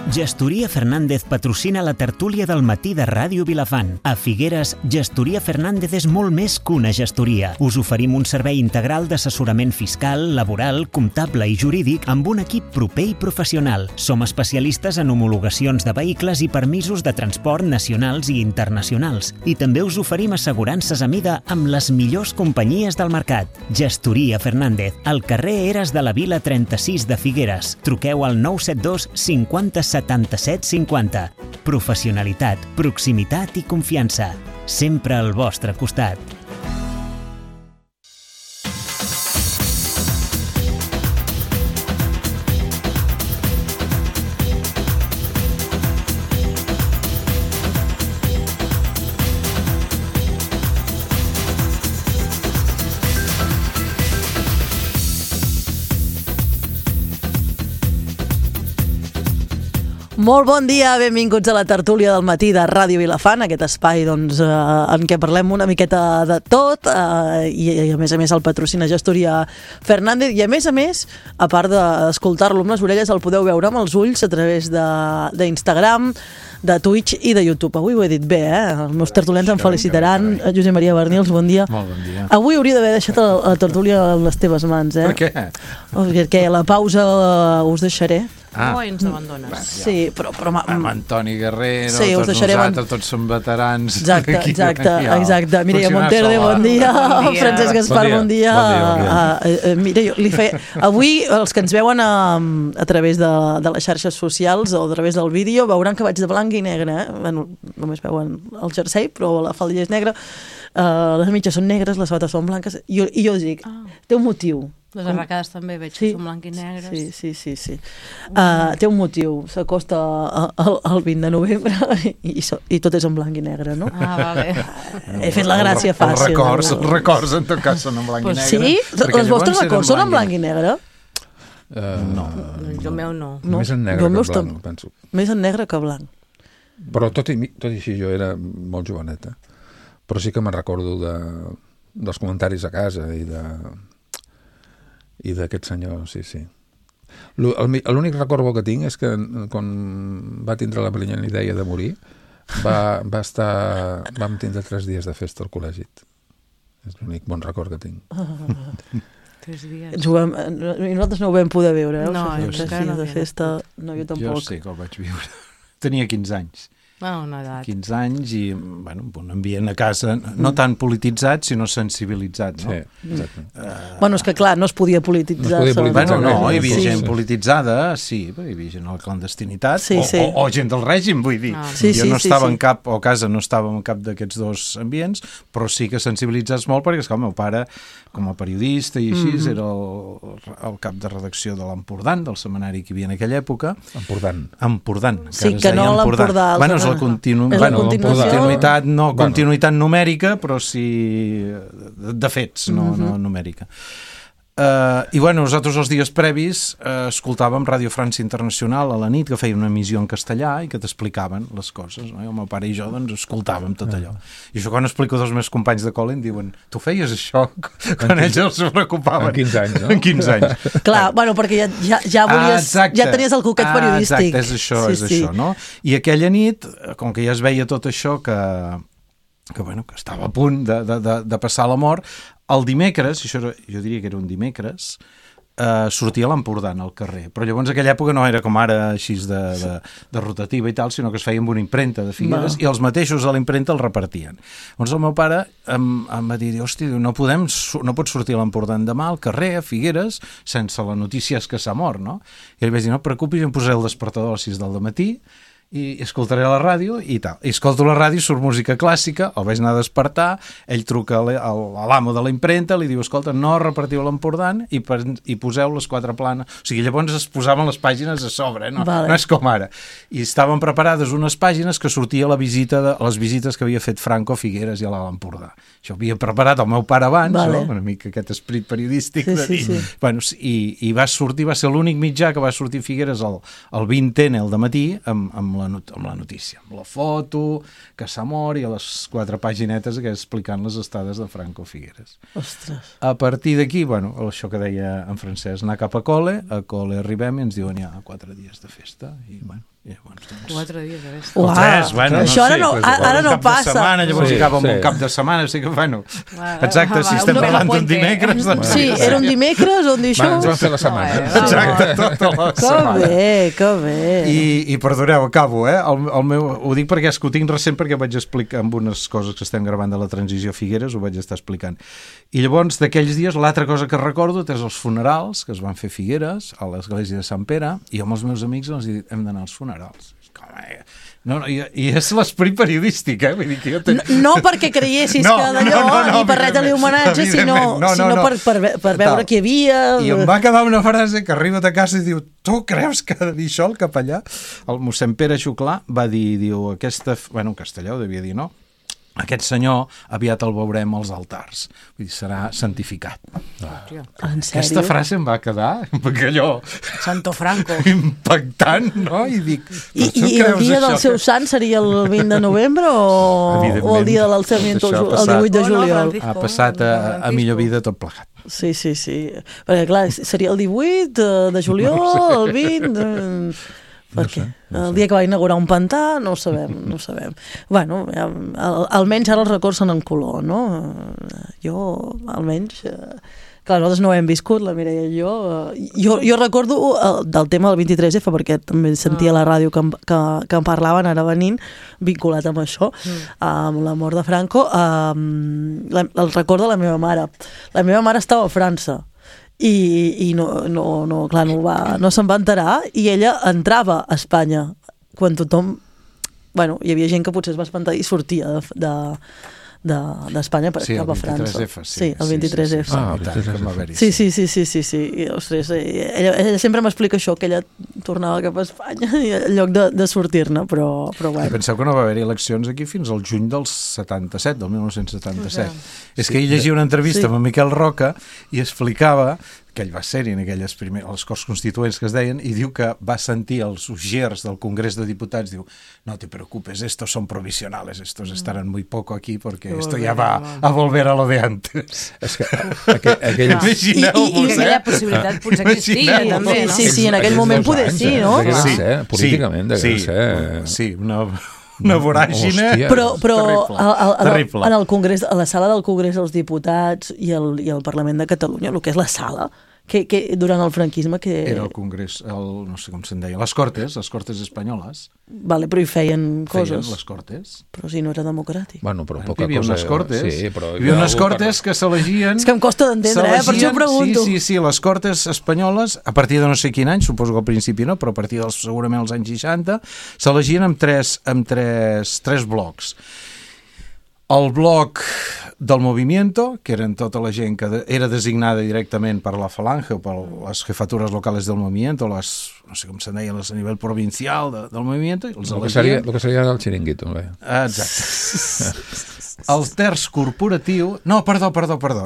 Gestoria Fernández patrocina la tertúlia del matí de Ràdio Vilafant. A Figueres, Gestoria Fernández és molt més que una gestoria. Us oferim un servei integral d'assessorament fiscal, laboral, comptable i jurídic amb un equip proper i professional. Som especialistes en homologacions de vehicles i permisos de transport nacionals i internacionals. I també us oferim assegurances a mida amb les millors companyies del mercat. Gestoria Fernández, al carrer Eres de la Vila 36 de Figueres. Truqueu al 972 50 77 50. Professionalitat, proximitat i confiança. Sempre al vostre costat. Molt bon dia, benvinguts a la tertúlia del matí de Ràdio Vilafant, aquest espai en què parlem una miqueta de tot i a més el patrocina Gestoria Fernández i a més, a part d'escoltar-lo amb les orelles, el podeu veure amb els ulls a través d'Instagram, de Twitch i de YouTube. Avui ho he dit bé, Els meus tertulians em felicitaran. Josep Maria Bernils, bon dia. Molt bon dia. Avui hauria d'haver deixat la tertúlia en les teves mans, Per què? Perquè a la pausa us deixaré. O ens abandones. Sí, però amb Antoni Guerrero, sí, tots nosaltres, tots som veterans. Exacte. Mireia Monterde, bon dia. Francesc Gaspar, bon dia. Mira, jo li feia... Avui, els que ens veuen a través de les xarxes socials o a través del vídeo, veuran que vaig de blanc i negre. Bueno, només veuen el jersei, però la faldilla és negra. Les mitges són negres, les sabates són blanques. I jo dic, té un motiu. Les arracades també veig que són blanc i negres. Sí. Té un motiu. S'acosta el 20 de novembre i tot és en blanc i negre, no? Vale. He fet la gràcia fàcil. Els records en tot cas són en blanc i negre. Sí? Els vostres records són en blanc i negre? No. El meu no. Més en negre que blanc, penso. Més en negre que blanc. Però tot i així jo era molt joveneta. Però sí que me'n recordo dels comentaris a casa i d'aquest senyor, sí. L'únic record bo que tinc és que quan va tindre la brillant idea de morir vam tindre 3 dies de festa al col·legi. És l'únic bon record que tinc. 3 dies. I nosaltres no ho vam poder veure, No, 3 dies de festa, no, jo tampoc. Jo sí que el vaig viure. Tenia 15 anys. Una edat. 15 anys i, un ambient a casa no tan polititzat, sinó sensibilitzat, no? Sí, exacte. És que clar, no es podia polititzar. No es podia polititzar. Hi havia gent polititzada, sí, hi havia gent a la clandestinitat, o gent del règim, vull dir. Jo no estava en cap, o a casa no estava en cap d'aquests dos ambients, però sí que sensibilitzats molt, perquè és que el meu pare, com a periodista i així, era el cap de redacció de l'Empordà, del setmanari que hi havia en aquella època. Empordà. Sí, que no l'Empordà. La continuïtat, no continuïtat numèrica, però sí de fets, no numèrica. I nosaltres els dies previs escoltàvem Ràdio França Internacional a la nit, que feia una emissió en castellà i que t'explicaven les coses, no? I el meu pare i jo escoltàvem tot allò. I això quan explico dels meus companys de col·le em diuen, tu feies això quan ells els preocupaven. En 15 anys, no? En 15 anys. Clar, perquè ja volies, ja tenies el coquet periodístic. Exacte, és això, no? I aquella nit, com que ja es veia tot això que estava a punt de passar la mort, el dimecres, jo diria que era un dimecres, sortia a l'Empordà al carrer, però llavors en aquella època no era com ara així de rotativa i tal, sinó que es feia amb una impremta de Figueres i els mateixos a l'impremta el repartien. Llavors el meu pare em va dir, hòstia, no pots sortir a l'Empordà demà al carrer, a Figueres, sense la notícia que s'ha mort, no? I li vaig dir, no et preocupis, em posaré el despertador a les 6 del matí i escoltaré la ràdio i tal. I escolto la ràdio, surt música clàssica, el vaig anar a despertar, ell truca a l'amo de la impremta, li diu, escolta, no repartiu l'Empordà i poseu les 4 planes. O sigui, llavors es posaven les pàgines a sobre, no és com ara. I estaven preparades unes pàgines que sortia les visites que havia fet Franco a Figueres i a l'Empordà. Això ho havia preparat el meu pare abans, una mica aquest esperit periodístic de dir. I va sortir, va ser l'únic mitjà que va sortir a Figueres el 20N al dematí amb la notícia, amb la foto, que s'ha mort i a les 4 paginetes explicant les estades de Franco Figueres. Ostres. A partir d'aquí, això que deia en Francesc, anar cap a col·le arribem i ens diuen ja 4 dies de festa 4 dies, a veure. O 3, bueno, això ara no passa. Setmana, llavors hi acaba amb un cap de setmana, o sigui que, bueno, exacte, si estem parlant d'un dimecres... Doncs sí, era un dimecres on dir això... Ens vam fer la setmana. Exacte, tota la setmana. Que bé. I perdoneu, acabo, ho dic perquè és que ho tinc recent perquè vaig explicar amb unes coses que estem gravant de la transició a Figueres, ho vaig estar explicant. I llavors, d'aquells dies, l'altra cosa que recordo és els funerals que es van fer a Figueres, a l'església de Sant Pere, i amb els meus amics els dic, hem d'anar als funerals. I és l'esperit periodístic, vull dir que jo no perquè creiessis que d'allò ni per res-li homenatge, sinó per veure què hi havia. I em va quedar una frase que arriba a casa i diu, tu creus que ha de dir això el capellà? El mossèn Pere Xuclà va dir, diu, en castellà ho devia dir, no? Aquest senyor aviat el veurem als altars. Vull dir, serà santificat. En sèrio? Aquesta frase em va quedar perquè allò... Santo Franco. Impactant, no? I dic... I el dia del seu sant seria el 20 de novembre o el dia de l'alçament el 18 de juliol? Ha passat a millor vida tot plegat. Sí. Perquè, clar, seria el 18 de juliol, el 20... Per què? El dia que va inaugurar un pantà, no ho sabem. Bueno, almenys ara els records són en color, no? Jo, almenys... Clar, nosaltres no ho hem viscut, la Mireia i jo. Jo recordo del tema del 23F, perquè també sentia a la ràdio que en parlaven, ara venint, vinculat amb això, amb la mort de Franco. El record de la meva mare. La meva mare estava a França, i no se'n va enterar, i ella entrava a Espanya quan tothom, hi havia gent que potser es va espantar i sortia d'Espanya per cap a França. Sí, el 23F. Sí. I, ostres, ella sempre m'explica això, que ella tornava cap a Espanya en lloc de sortir-ne, però bueno. Penseu que no va haver-hi eleccions aquí fins al juny del 77, del 1977. És que ell llegia una entrevista amb Miquel Roca i explicava que ell va ser-hi en aquelles les Corts Constituents que es deien, i diu que va sentir els ujiers del Congrés de Diputats, diu, no te preocupes, estos son provisionales, estos estarán muy poco aquí porque esto ya va a volver a lo de antes. És que imagineu-vos, I aquella possibilitat potser existia, també, no? Sí, en aquell moment poder sí, no? Políticament, degué ser. Sí, una voràgine però terrible. En el Congrés, a la sala del Congrés dels Diputats i el Parlament de Catalunya, el que és la sala, que durant el franquisme era el Congrés, no sé com se'n deia, les Cortes espanyoles. Vale, però hi feien coses. Feien les Cortes. Però si no era democràtic. Bueno, però poca cosa. Hi havia unes Cortes, sí, però hi havia unes Cortes que s'elegien... És que em costa d'entendre, per això pregunto. Sí, les Cortes espanyoles, a partir de no sé quin any, suposo que al principi no, però a partir segurament dels anys 60, s'elegien amb tres blocs. El bloc del Movimiento, que eren tota la gent que era designada directament per la Falange o per les jefatures locals del Movimiento, no sé com se'n deien, a nivell provincial del Movimiento, els elegien... El que seria el xiringuito. Exacte. El terç corporatiu... No, perdó.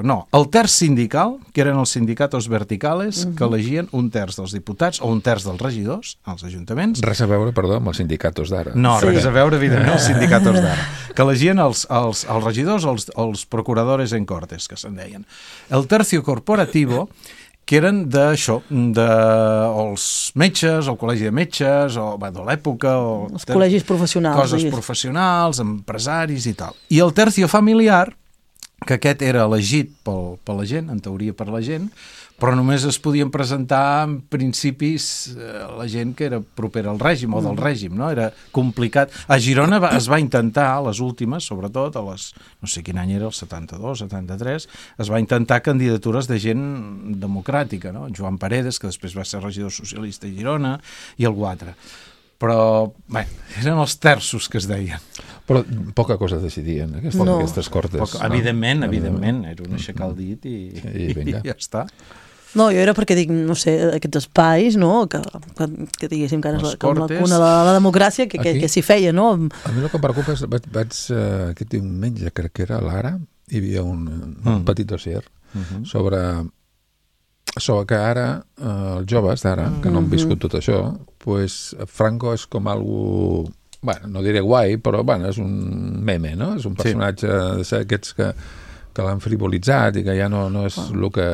No, el terç sindical, que eren els sindicatos verticales, que elegien un terç dels diputats o un terç dels regidors als ajuntaments. Res a veure, perdó, amb els sindicatos d'ara. No, res a veure, evidentment, els sindicatos d'ara. Que elegien els regidors o els procuradores en cortes, que se'n deien. El tercio corporativo, que eren d'això, els metges, el col·legi de metges, o de l'època, o els col·legis professionals, coses professionals, empresaris i tal. I el tercio familiar, que aquest era elegit per la gent, en teoria per la gent, però només es podien presentar en principis la gent que era propera al règim o del règim, no? Era complicat. A Girona es va intentar, les últimes, sobretot, no sé quin any era, el 72, 73, es va intentar candidatures de gent democràtica, no? Joan Paredes, que després va ser regidor socialista a Girona, i algú altre. Però, bé, eren els terços que es deien. Però poca cosa decidien, aquestes Cortes. Evidentment, era un aixecar el dit i ja està. No, jo era perquè dic, no sé, aquests espais, no?, que diguéssim que és com la cuna de la democràcia, que s'hi feia, no? A mi el que em preocupa és, vaig aquest diumenge, crec que era a l'Ara, hi havia un petit dossier sobre que ara, els joves d'ara, que no han viscut tot això, pues Franco és com algú, bueno, no diré guai, però bueno, és un meme, no? És un personatge d'aquests que que l'han frivolitzat i que ja no és el que...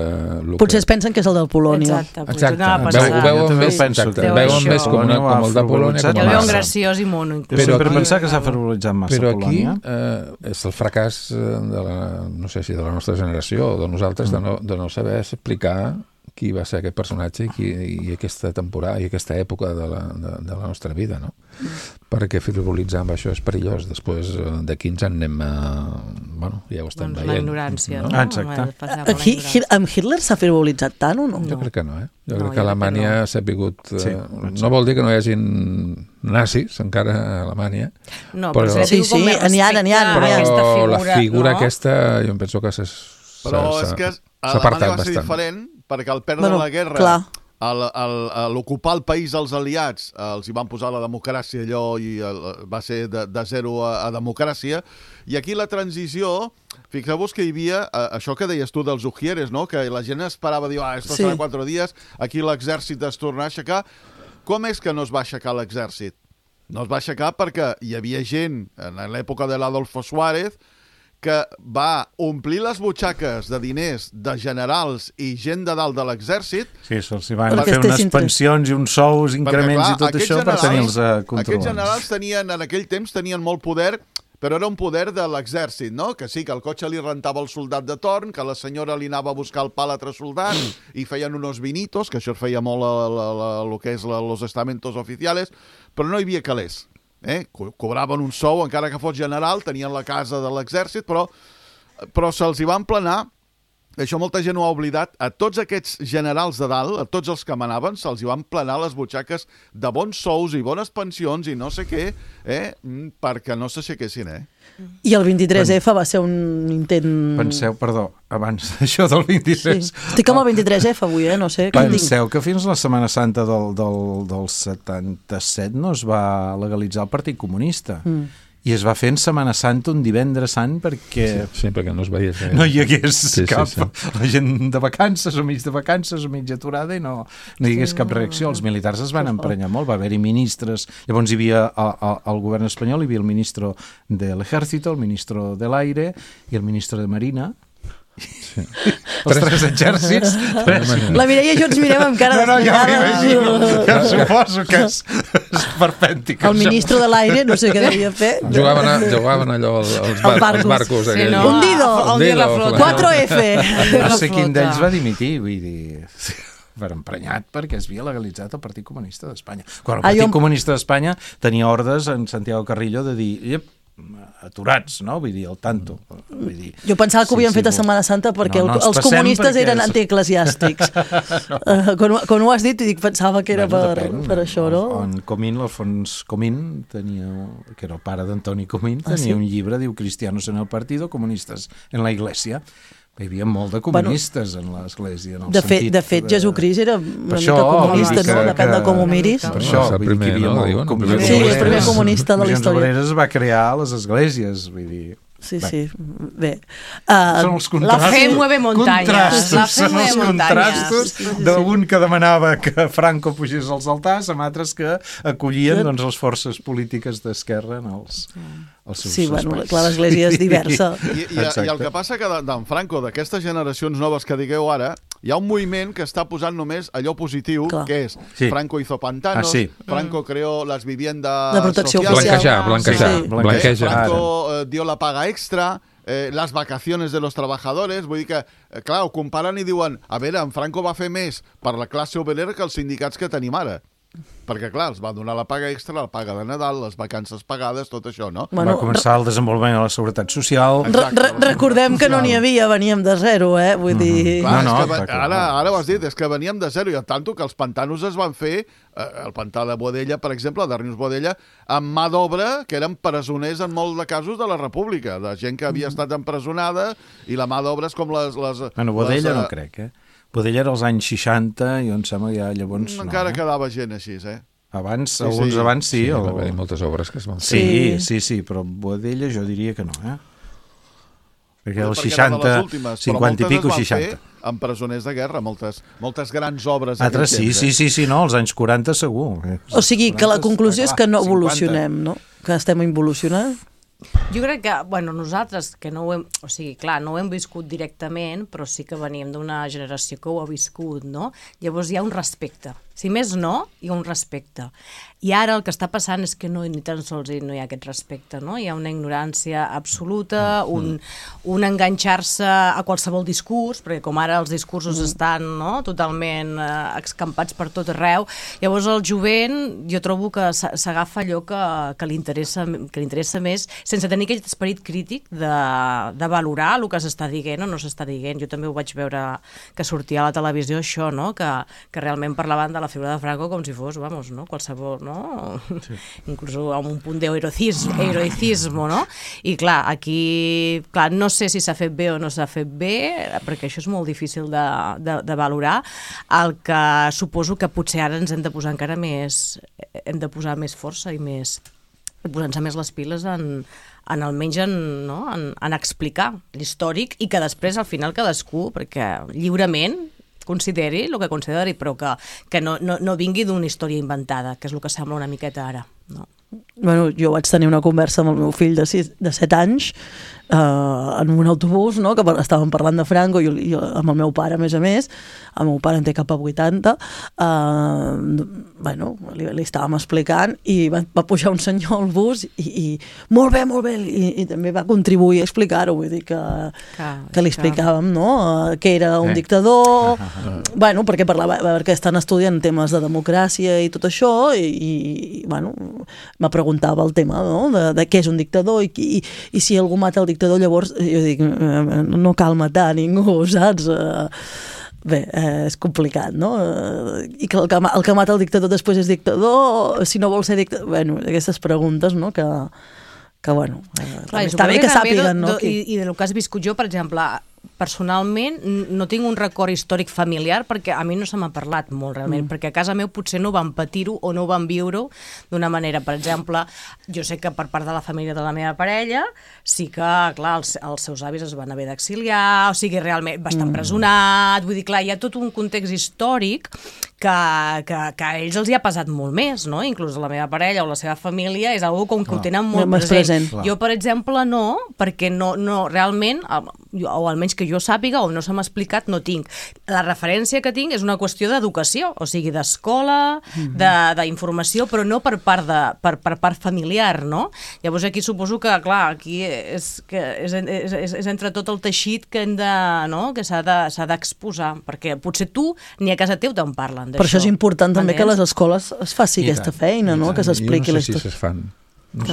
Potser es pensen que és el del Polònia. Exacte. Jo Veuen també més, penso que més com el de Polònia. Ja el veuen graciós i mono. Jo sempre he pensat que s'ha frivolitzat massa Polònia. Però aquí és el fracàs no sé si de la nostra generació o de nosaltres de no saber explicar qui va ser aquest personatge i aquesta temporada i aquesta època de la nostra vida, no? Perquè frivolitzar amb això és perillós. Després d'aquí ens en anem bueno, ja ho estem veient. La ignorància, no? Exacte. Amb Hitler s'ha frivolitzat tant o no? Jo crec que no, Jo crec que Alemanya s'ha vingut... No vol dir que no hi hagin nazis encara a Alemanya. No, però sí, n'hi ha. Però la figura aquesta, jo em penso que però és que a Alemanya va ser diferent perquè al perdre la guerra, a l'ocupar el país als aliats, els hi van posar la democràcia allò i va ser de zero a democràcia. I aquí la transició, fixeu-vos que hi havia això que deies tu dels ujieres, no? Que la gent esperava, diu, esto serà 4 dies, aquí l'exèrcit es torna a aixecar. Com és que no es va aixecar l'exèrcit? No es va aixecar perquè hi havia gent, en l'època de l'Adolfo Suárez, que va omplir les butxaques de diners de generals i gent de dalt de l'exèrcit. Sí, se'ls van fer unes pensions i uns sous, increments i tot això per tenir-los controlats. Aquests generals en aquell temps tenien molt poder, però era un poder de l'exèrcit, no? Que sí, que el cotxe li rentava el soldat de torn, que la senyora li anava a buscar el pa a l'altre soldat i feien unos vinitos, que això es feia molt el que és los estamentos oficiales, però no hi havia calés. Cobraven un sou, encara que fos general, tenien la casa de l'exèrcit, però se'ls hi va emplenar, això molta gent ho ha oblidat, a tots aquests generals de dalt, a tots els que manaven, se'ls hi va emplenar les butxaques de bons sous i bones pensions i no sé què, perquè no s'aixequessin, I el 23F va ser un intent... Penseu, perdó, abans d'això del 23... Sí. Estic amb el 23F avui, no sé. Penseu que fins la Setmana Santa del 77 no es va legalitzar el Partit Comunista. I es va fer en Setmana Santa un divendres sant perquè... Sí, perquè no es veiés. No hi hagués cap... La gent de vacances o mig de vacances o mig aturada i no hi hagués cap reacció. Els militars es van emprenyar molt, va haver-hi ministres. Llavors hi havia al govern espanyol, hi havia el ministre de l'Ejército, el ministre de l'Aire i el ministre de Marina. Sí. Els tres exèrcits. La Mireia i jo ens mirem amb cara ja suposo que és perpèntic. El ministre de l'aire, no sé què devia fer. Jugaven allò els barcos. Sí, no. Hundido. 4F. No sé quin d'ells va dimitir, vull dir... per emprenyat perquè es havia legalitzat el Partit Comunista d'Espanya. Quan el Partit Comunista d'Espanya tenia ordres en Santiago Carrillo de dir aturats, no? Vull dir, al tanto. Vull dir, jo pensava que ho havien fet a Setmana Santa perquè els comunistes eren antieclesiàstics. Quan ho has dit, pensava que era per això, no? En Comín, l'Alfons Comín, que era el pare d'Antoni Comín, tenia un llibre, diu Cristianos en el partido, comunistes en la iglesia. Hi havia molt de comunistes en l'església. De fet, Jesucrist era una mica comunista, no? Depèn de com ho miris. Per això, el primer, no? Sí, el primer comunista de la història. Obreres va crear les esglésies, vull dir... Sí, bé. Són els contrastos. La fe mueve montañas. Són els contrastos d'un que demanava que Franco pugés als altars, amb altres que acollien les forces polítiques d'esquerra en els seus sí, bueno, clar, l'església és diversa. I el que passa que d'en Franco, d'aquestes generacions noves que digueu ara, hi ha un moviment que està posant només allò positiu, que és Franco hizo pantanos, Franco creó las viviendas de protecció oficial. Blanquejar. Franco dio la paga extra, les vacaciones de los trabajadores, vull dir que, clar, ho comparen i diuen, a veure, en Franco va fer més per la classe obrera que els sindicats que tenim ara. Perquè, clar, els va donar la paga extra, la paga de Nadal, les vacances pagades, tot això, no? Va començar el desenvolupament de la seguretat social. Recordem que no n'hi havia, veníem de zero, vull dir... Ara ho has dit, és que veníem de zero, i tant que els pantanos es van fer, el pantà de Boadella, per exemple, de Rius Boadella, amb mà d'obra, que eren presoners en molts de casos de la República, de gent que havia estat empresonada, i la mà d'obra és com les... Bueno, Boadella no crec, Boadella era als anys 60 i em sembla que ja llavors... Encara quedava gent així, Abans, alguns abans sí. Va haver moltes obres que es van fer. Sí, però Boadella jo diria que no, Perquè als 60, 50 i pico, 60. Amb presoners de guerra, moltes grans obres. Altres sí, no, als anys 40 segur. O sigui, que la conclusió és que no evolucionem, no? Que estem involucionant. Jo crec que, bueno, nosaltres, que no ho hem, o sigui, clar, no ho hem viscut directament, però sí que venim d'una generació que ho ha viscut, no? Llavors hi ha un respecte. Si més no, hi ha un respecte. I ara el que està passant és que ni tan sols no hi ha aquest respecte, no? Hi ha una ignorància absoluta, un enganxar-se a qualsevol discurs, perquè com ara els discursos estan, no?, totalment escampats per tot arreu, llavors el jovent jo trobo que s'agafa allò que li interessa més, sense tenir aquest esperit crític de valorar el que s'està dient o no s'està dient. Jo també ho vaig veure que sortia a la televisió això, no?, que realment parlaven de la figura de Franco com si fos, vamos, no?, qualsevol, no?, sí. Inclús amb un punt d'heroicismo, no? I clar, aquí, clar, no sé si s'ha fet bé o no s'ha fet bé, perquè això és molt difícil de valorar. El que suposo que potser ara ens hem de posar encara més, hem de posar més força i més, posant-se més les piles almenys en explicar l'històric i que després al final cadascú, perquè lliurement consideri el que consideri, però que no vingui d'una història inventada, que és el que sembla una miqueta ara, no? Bueno, jo vaig tenir una conversa amb el meu fill de 7 anys en un autobús, no?, que estàvem parlant de Franco, i amb el meu pare, a més, el meu pare en té cap a 80, bueno, li estàvem explicant i va pujar un senyor al bus i molt bé, i també va contribuir a explicar-ho, vull dir que li explicàvem, no?, que era un dictador, bueno, perquè estan estudiant temes de democràcia i tot això, i bueno, me preguntava el tema, no?, de què és un dictador i si algú mata el dictador, llavors jo dic, no cal matar ningú, saps? Bé, és complicat, no? I que el que mata el dictador després és dictador, si no vol ser dictador... Bueno, aquestes preguntes, no?, que bueno, està bé que sàpiguen, no? I del que has viscut jo, per exemple, personalment no tinc un record històric familiar perquè a mi no se m'ha parlat molt realment, perquè a casa meu potser no van patir-ho o no van viure-ho d'una manera. Per exemple, jo sé que per part de la família de la meva parella sí que, clar, els seus avis es van haver d'exiliar, o sigui, realment va estar empresonat, vull dir, clar, hi ha tot un context històric que a ells els hi ha pesat molt més, no? Inclús la meva parella o la seva família és algo com que ho tenen molt present. Jo, per exemple, no, perquè no realment, o almenys que jo sàpiga o no se m'ha explicat, no tinc. La referència que tinc és una qüestió d'educació, o sigui, d'escola, d'informació, però no per part familiar, no? Llavors aquí suposo que, clar, aquí és entre tot el teixit que hem de, no?, que s'ha d'exposar, perquè potser tu ni a casa teu te'n parlen d'això. Per això és important també que a les escoles es faci aquesta feina, no?, que s'expliqui la història. Jo no sé si es fan. No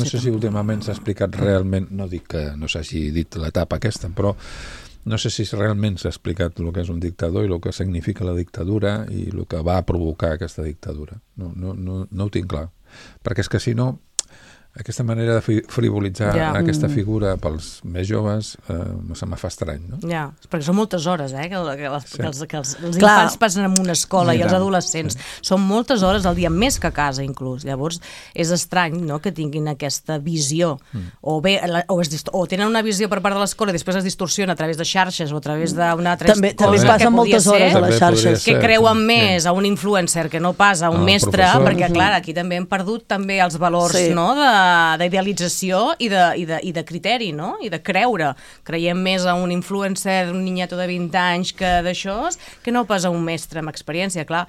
sé si últimament s'ha explicat realment, no dic que no s'hagi dit l'etapa aquesta, però no sé si realment s'ha explicat el que és un dictador i el que significa la dictadura i el que va provocar aquesta dictadura. No ho tinc clar, perquè és que si no, aquesta manera de frivolitzar aquesta figura pels més joves se me fa estrany, no? Ja, perquè són moltes hores, que els infants passen en una escola i els adolescents. Són moltes hores al dia, més que a casa, inclús. Llavors, és estrany, no?, que tinguin aquesta visió. O tenen una visió per part de l'escola i després es distorsiona a través de xarxes o a través d'una altra cosa. També passen moltes hores a les xarxes. Que creuen més a un influencer que no pas a un mestre, perquè, clar, aquí també hem perdut també els valors, no?, d'idealització i de criteri, no?, i de creure. Creiem més a un influencer, un niñato de 20 anys que no pas a un mestre amb experiència, clar.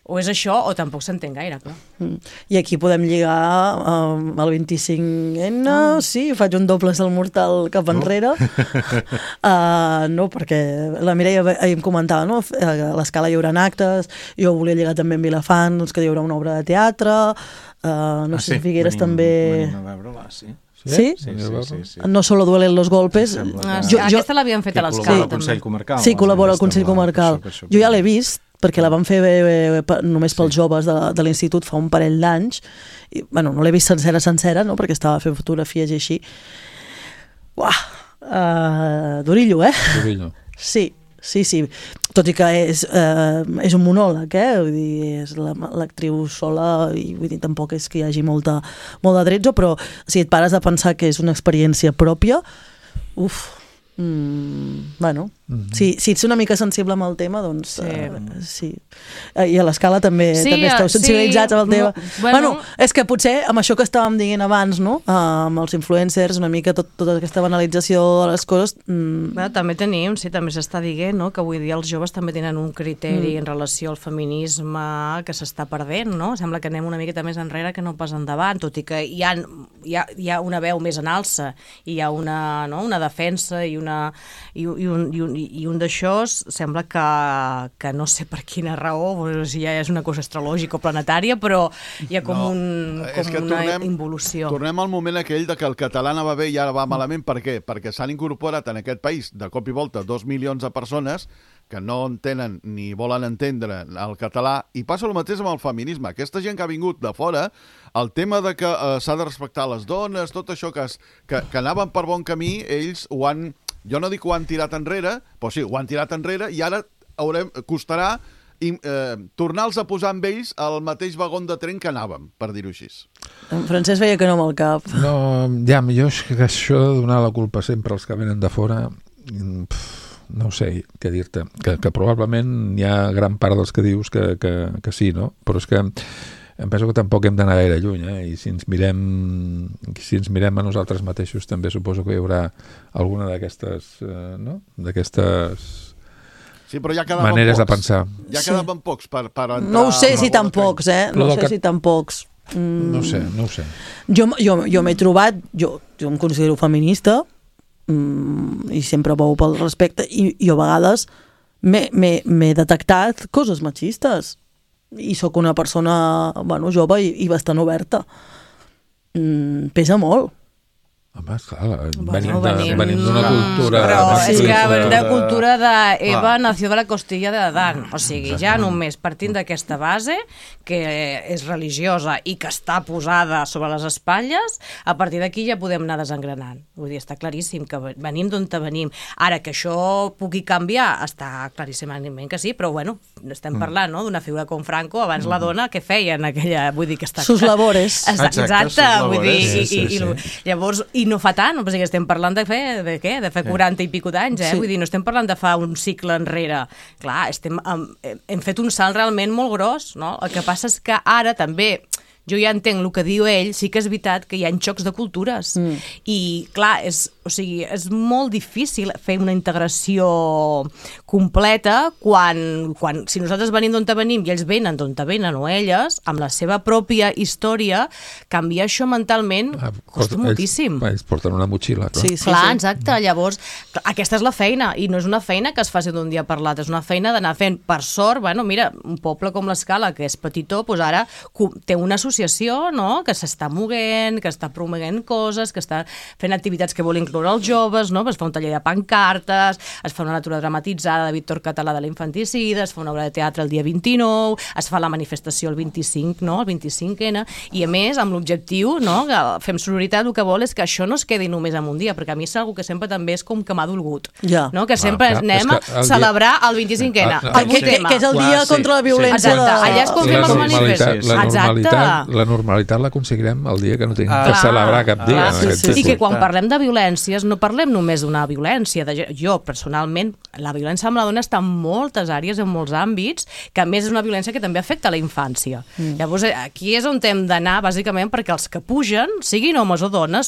O és això o tampoc s'entén gaire, clar. I aquí podem lligar el 25N, sí, faig un doble salt mortal cap enrere. No, perquè la Mireia ahir em comentava, no?, a l'Escala hi haurà actes, jo volia lligar també amb Vilafant, que hi haurà una obra de teatre, no sé si Figueres també... Venim a veure-la, sí. Sí? No solo duelen los golpes. Aquesta l'havien fet a l'Escala. Sí, col·labora al Consell Comarcal. Jo ja l'he vist, perquè la van fer només pels joves de l'institut fa un parell d'anys. Bueno, no l'he vist sencera, no?, perquè estava fent fotografies i així. Uah! Durillo, Durillo. Sí. Tot i que és un monòleg, vull dir, és l'actriu sola i vull dir, tampoc és que hi hagi molt de tretzo, però si et pares a pensar que és una experiència pròpia, bueno, Si ets una mica sensible amb el tema, doncs sí. I a l'Escala també esteu sensibilitzats amb el tema. Bueno, és que potser amb això que estàvem dient abans, no? Amb els influencers, una mica tota aquesta banalització de les coses... També tenim, també s'està dient, no? Que avui dia els joves també tenen un criteri en relació al feminisme que s'està perdent, no? Sembla que anem una miqueta més enrere que no pas endavant, tot i que hi ha una veu més en alça, i hi ha una defensa i un d'això sembla que no sé per quina raó, si ja és una cosa astrològica o planetària, però hi ha com una involució. Tornem al moment aquell de que el català anava bé i ara va malament. Per què? Perquè s'han incorporat en aquest país de cop i volta 2 milions de persones que no entenen ni volen entendre el català, i passa el mateix amb el feminisme. Aquesta gent que ha vingut de fora, el tema de que s'ha de respectar les dones, tot això que anaven per bon camí, ells ho han... Jo no dic que ho han tirat enrere, però sí, ho han tirat enrere, i ara costarà tornar-los a posar amb ells al mateix vagó de tren que anàvem, per dir-ho així. En Francesc veia que no amb el cap. No, ja, millor és que això de donar la culpa sempre als que venen de fora, no sé què dir-te, que probablement hi ha gran part dels que dius que sí, no? Però és que em penso que tampoc hem d'anar gaire lluny, i si ens mirem a nosaltres mateixos també suposo que hi haurà alguna d'aquestes sí, però ja maneres de pensar. Ja quedaven pocs per entrar... No ho sé si tan pocs, No sé si tan pocs. No ho sé. Jo m'he trobat, jo em considero feminista, i sempre veu pel respecte, i a vegades m'he detectat coses machistes. I sóc una persona jove i bastant oberta. Pesa molt. Home, esclar, venim d'una cultura... Però és que venim de cultura d'Eva nació de la costilla d'Adán. O sigui, ja només partint d'aquesta base, que és religiosa i que està posada sobre les espatlles, a partir d'aquí ja podem anar desengranant. Vull dir, està claríssim que venim d'on venim. Ara, que això pugui canviar, està claríssimament que sí, però bueno, estem parlant d'una figura com Franco, abans la dona, què feia en aquella... Vull dir que està... Sus labores. Exacte, vull dir... Llavors, i no fa tant, perquè estem parlant de fer 40 i pico d'anys, vull dir, no estem parlant de fa un cicle enrere. Clar, hem fet un salt realment molt gros, no? El que passa és que ara també, jo ja entenc el que diu ell, sí que és veritat que hi ha xocs de cultures. I, clar, és molt difícil fer una integració completa quan si nosaltres venim d'on venim i ells venen d'on venen o elles, amb la seva pròpia història, canviar això mentalment costa moltíssim. Ells porten una motxilla, clar. Sí. Exacte. Llavors, aquesta és la feina, i no és una feina que es faci d'un dia per l'altre, és una feina d'anar fent. Per sort, mira, un poble com l'Escala, que és petitó, doncs ara té una associació, no?, que s'està movent, que està promovent coses, que està fent activitats que vol incloure els joves, no? Es fa un taller de pancartes, es fa una lectura dramatitzada de Víctor Català de l'infanticida, es fa una obra de teatre el dia 29, es fa la manifestació el 25, no?, el 25N, i a més, amb l'objectiu, no?, que fem sororitat, el que vol és que això no es quedi només en un dia, perquè a mi és una que sempre també és com que m'ha dolgut, no?, que sempre anem a celebrar el 25N, que és el dia contra la violència. Allà es confirma el manifest. La normalitat l'aconseguirem el dia que no tinguem que celebrar cap dia. I que quan parlem de violències no parlem només d'una violència. Jo, personalment, la violència amb la dona està en moltes àrees, en molts àmbits, que a més és una violència que també afecta la infància. Llavors, aquí és on hem d'anar, bàsicament, perquè els que pugen, siguin homes o dones,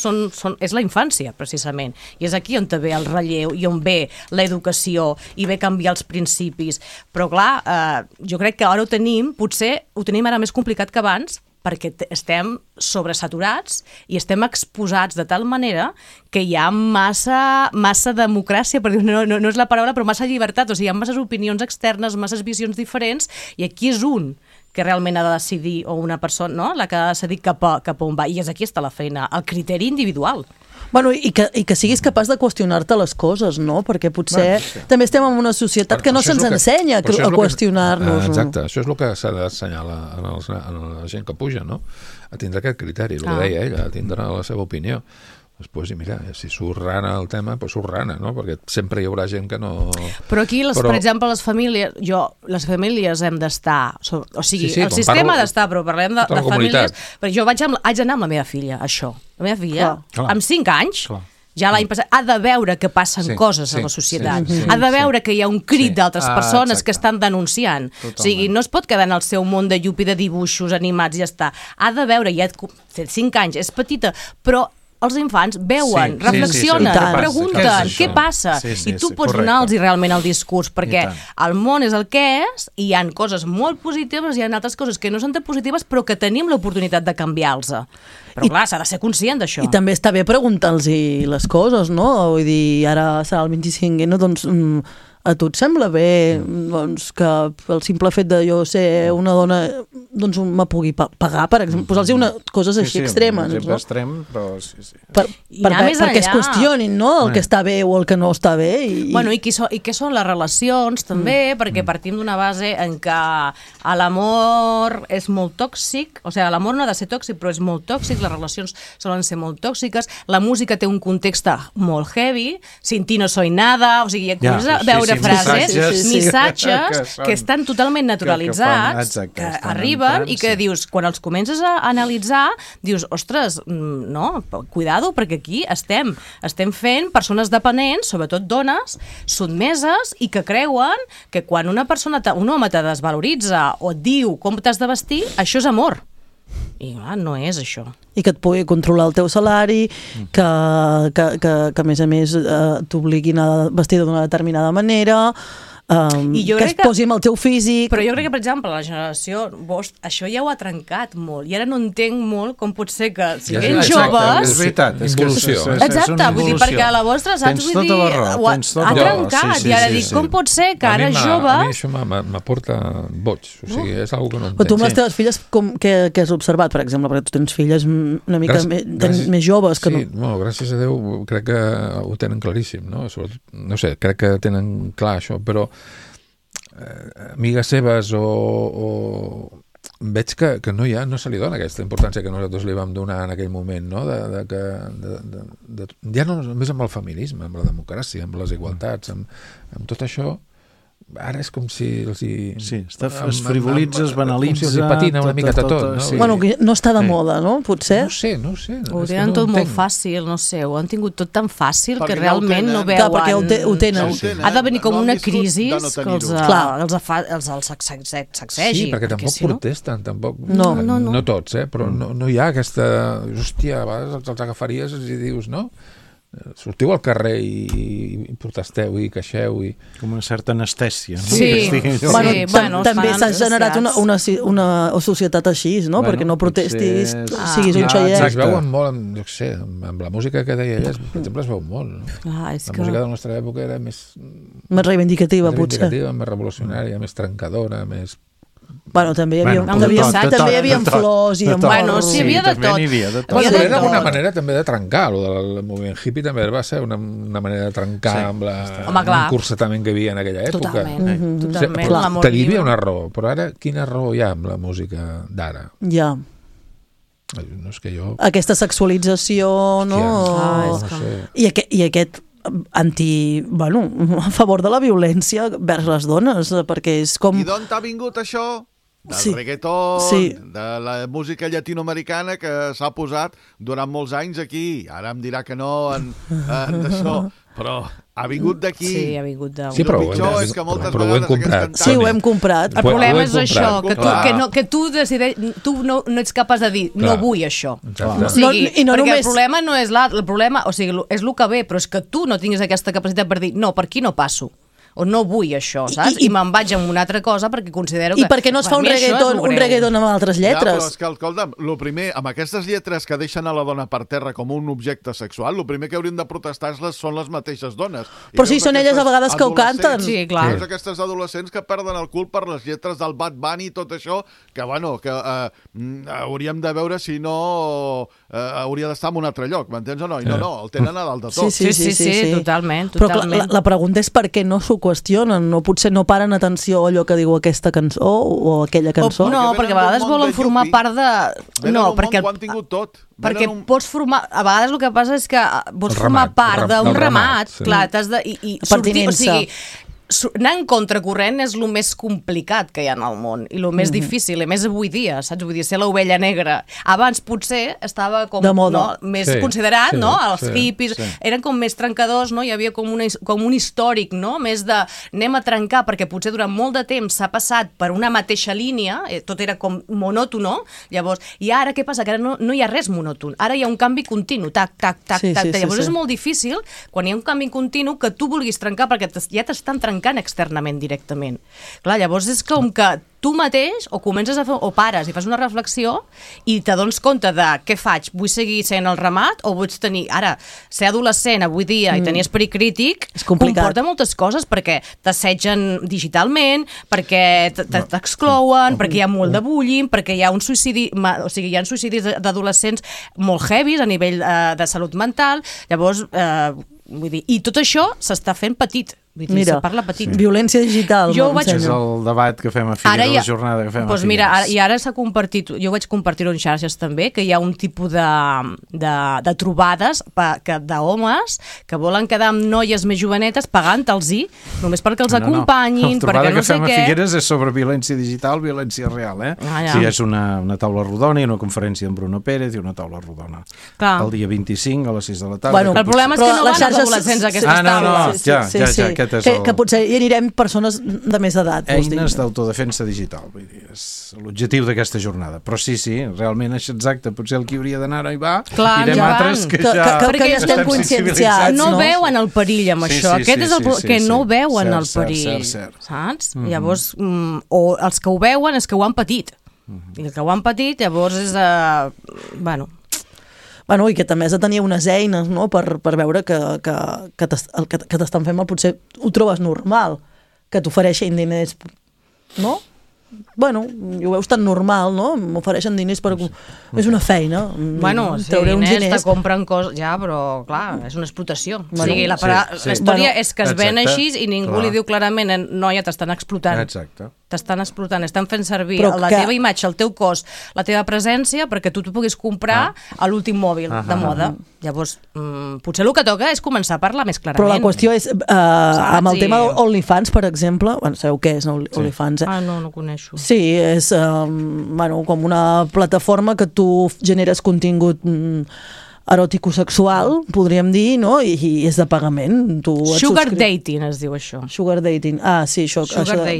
és la infància, precisament. I és aquí on ve el relleu i on ve l'educació i ve canviar els principis. Però, clar, jo crec que ara potser ho tenim ara més complicat que abans, perquè estem sobresaturats i estem exposats de tal manera que hi ha massa democràcia, per dir, no és la paraula, però massa llibertat, o sigui, hi ha masses opinions externes, masses visions diferents, i aquí és un que realment ha de decidir, o una persona, no?, la que ha de decidir cap a on va, i és aquí està la feina, el criteri individual. Bueno, i que siguis capaç de qüestionar-te les coses, no? Perquè potser també estem en una societat que no se'ns ensenya a qüestionar-nos. Exacte, això és el que s'ha d'assenyalar a la gent que puja, no? A tindre aquest criteri, el que deia ella, a tindre la seva opinió. Després, i mira, si surt rana el tema, doncs surt rana, no? Perquè sempre hi haurà gent que no... Però aquí, per exemple, les famílies hem d'estar... O sigui, el sistema ha d'estar, però parlem de famílies... Perquè jo vaig anar amb la meva filla, això. La meva filla, amb 5 anys, ja l'any passat, ha de veure que passen coses a la societat, ha de veure que hi ha un crit d'altres persones que estan denunciant. O sigui, no es pot quedar en el seu món de llupi de dibuixos animats i ja està. Ha de veure, ja té 5 anys, és petita, però els infants veuen, reflexionen, pregunten què passa, i tu pots donar-los realment el discurs, perquè el món és el que és, i hi ha coses molt positives, hi ha altres coses que no són tan positives, però que tenim l'oportunitat de canviar-los. Però clar, s'ha de ser conscient d'això. I també està bé preguntar-los les coses, no? Vull dir, ara serà el 25, no? Doncs a tu et sembla bé doncs, que el simple fet de jo ser una dona doncs me pugui pagar, per exemple, posar-los coses així extremes. Un exemple extrem, però sí. Perquè es qüestionin, no?, el que està bé o el que no està bé. Bueno, i què són les relacions, també, perquè partim d'una base en què l'amor és molt tòxic, o sigui, l'amor no ha de ser tòxic, però és molt tòxic, les relacions solen ser molt tòxiques, la música té un context molt heavy, sin ti no soy nada, o sigui, comences a veure frases, missatges que estan totalment naturalitzats, que arriben i que dius, quan els comences a analitzar, dius, ostres, no, cuidado, perquè aquí estem fent persones dependents, sobretot dones, sotmeses i que creuen que quan un home te desvaloritza o et diu com t'has de vestir, això és amor. I clar, no és això. I que et pugui controlar el teu salari, que a més t'obliguin a vestir d'una determinada manera, que es posi amb el teu físic. Però jo crec que, per exemple, la generació vostra, això ja ho ha trencat molt, i ara no entenc molt com pot ser que siguin joves... És veritat, és involució. Exacte, vull dir, perquè a la vostra, saps? Vull dir, ha trencat, i ara dic, com pot ser que ara joves... A mi això m'aporta boig, o sigui, és una cosa que no entenc. Però tu amb les teves filles, què has observat, per exemple? Perquè tu tens filles una mica més joves que no... Sí, bueno, gràcies a Déu, crec que ho tenen claríssim, no? No sé, crec que tenen clar això, però amigues seves o veig que no se li dona aquesta importància que nosaltres li vam donar en aquell moment, no? Ja no només amb el feminisme, amb la democràcia, amb les igualtats, amb tot això. Ara és com si els hi... Sí, es frivolitza, es banalitza... Com si els hi patina una mica tot, no? Bueno, no està de moda, no? Potser? No sé. Ho tenen tot molt fàcil, no sé, ho han tingut tot tan fàcil que realment no veuen... Clar, perquè ho tenen. Ha de venir com una crisi que els sacsegi. Sí, perquè tampoc protesten, tampoc... No tots, però no hi ha aquesta... Hòstia, a vegades els agafaries i dius, no? Sortiu al carrer i protesteu i queixeu i... Com una certa anestèsia, no? Sí. També s'ha generat una societat així, no? Perquè no protestis, siguis un xaiet. Es veuen molt, jo què sé, amb la música que deia ella, per exemple, es veu molt. La música de la nostra època era més reivindicativa, potser. Més revolucionària, més trencadora, més... Bueno, també hi havia flors i amor. Bueno, sí, hi havia de tot. Bueno, era una manera també de trencar, el moviment hippie també va ser una manera de trencar amb l'encursetament que hi havia en aquella època. Totalment. Hi havia una raó, però ara quina raó hi ha amb la música d'ara? Ja. No és que jo... Aquesta sexualització, no? I aquest a favor de la violència vers les dones, perquè és com... I d'on t'ha vingut això? Del reggaeton, de la música llatinoamericana que s'ha posat durant molts anys aquí. Ara em dirà que no en això, però ha vingut d'aquí. Sí, ha vingut d'aquí. Sí, però ho hem comprat. Sí, ho hem comprat. El problema és això, que tu no ets capaç de dir no vull això. Perquè el problema no és el problema, o sigui, és el que ve, però és que tu no tinguis aquesta capacitat per dir no, per aquí no passo. O no vull això, saps? I me'n vaig amb una altra cosa perquè considero que... I perquè no es fa un reggaeton amb altres lletres? Ja, però és que, escolta'm, el primer, amb aquestes lletres que deixen a la dona per terra com un objecte sexual, el primer que hauríem de protestar són les mateixes dones. Però sí, són elles a vegades que ho canten. Sí, clar. Veus aquestes adolescents que perden el cul per les lletres del Bad Bunny i tot això, que, bueno, que hauríem de veure si no hauria d'estar en un altre lloc, m'entens o no? I no, el tenen a dalt de tot. Sí, totalment. Però la pregunta és per què no s'ho qüestionen, no, potser no paren atenció a allò que diu aquesta cançó o aquella cançó. No, perquè a vegades volen formar part de... No, perquè ho han tingut tot. Perquè pots formar... A vegades el que passa és que pots formar part d'un ramat, clar, t'has de... Pertinença. O sigui, anar en contracorrent és el més complicat que hi ha en el món i el més difícil, i més avui dia, saps? Vull dir, ser l'ovella negra. Abans potser estava com més considerat, no? Els hippies eren com més trencadors, no? Hi havia com un històric, no? Més de anem a trencar, perquè potser durant molt de temps s'ha passat per una mateixa línia, tot era com monòtono, llavors, i ara què passa? Que ara no hi ha res monòton, ara hi ha un canvi continu, tac, tac, tac, tac, llavors és molt difícil, quan hi ha un canvi continu, que tu vulguis trencar, perquè ja t'estan trencant externament directament. Clar, llavors és com que tu mateix o comences a fer, o pares i fas una reflexió i t'adones compte de què faig, vull seguir sent el ramat o vull tenir, ara, ser adolescent avui dia i tenir esperit crític comporta moltes coses perquè t'assetgen digitalment, perquè t'exclouen, perquè hi ha molt de bullying, perquè hi ha un suïcidi, o sigui, hi ha suïcidis d'adolescents molt heavies a nivell de salut mental, llavors, vull dir, i tot això s'està fent petit. Mira, violència digital. És el debat que fem a Figueres, la jornada que fem a Figueres. Mira, i ara s'ha compartit, jo vaig compartir-ho en xarxes també, que hi ha un tipus de trobades d'homes que volen quedar amb noies més jovenetes pagant-los-hi, només perquè els acompanyin, perquè no sé què. La trobada que fem a Figueres és sobre violència digital, violència real, Sí, és una taula rodona i una conferència amb Bruno Pérez i una taula rodona. El dia 25 a les 6 de la tarda. El problema és que no van els adolescents a aquestes taules. Ja, que potser hi anirem persones de més edat. Eines d'autodefensa digital, vull dir, és l'objectiu d'aquesta jornada. Però sí, realment és exacte, potser el que hauria d'anar hi va, irem altres que ja estem conscienciats. No veuen el perill amb això, aquest és el que no veuen el perill, saps? Llavors, o els que ho veuen és que ho han patit, i el que ho han patit llavors és, Bueno, i que també has de tenir unes eines, no?, per veure que el que t'estan fent mal potser ho trobes normal, que t'ofereixin diners, no? Bueno, ho veus tan normal, no? M'ofereixen diners per... És una feina. Bueno, sí, diners te compren coses... Ja, però, clar, és una explotació. O sigui, la història és que es ven així i ningú li diu clarament noia, t'estan explotant. Exacte. T'estan explotant, estan fent servir la teva imatge, el teu cos, la teva presència, perquè tu puguis comprar l'últim mòbil de moda. Llavors, potser el que toca és començar a parlar més clarament. Però la qüestió és, amb el tema d'OnlyFans, per exemple, sabeu què és OnlyFans, no coneixo. Sí, és com una plataforma que tu generes contingut eròtico-sexual, podríem dir, no? I és de pagament. Sugar dating es diu això. Sugar dating, sí, això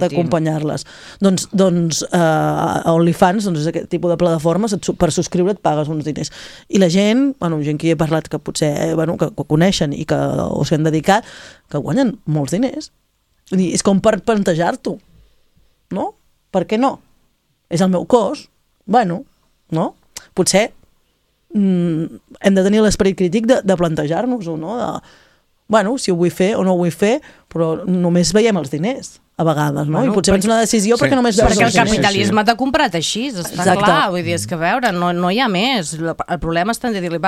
d'acompanyar-les. Doncs OnlyFans és aquest tipus de plataformes, per subscriure et pagues uns diners. I la gent, gent que hi he parlat que potser que coneixen i que s'hi han dedicat, que guanyen molts diners. És com per plantejar-t'ho, no? Per què no? És el meu cos, no? Potser hem de tenir l'esperit crític de plantejar-nos-ho, no? Si ho vull fer o no ho vull fer, però només veiem els diners a vegades, no? I potser prens una decisió perquè només veus els diners. Perquè el capitalisme t'ha comprat així, està clar. Vull dir, és que a veure, no hi ha més. El problema està en dir-li,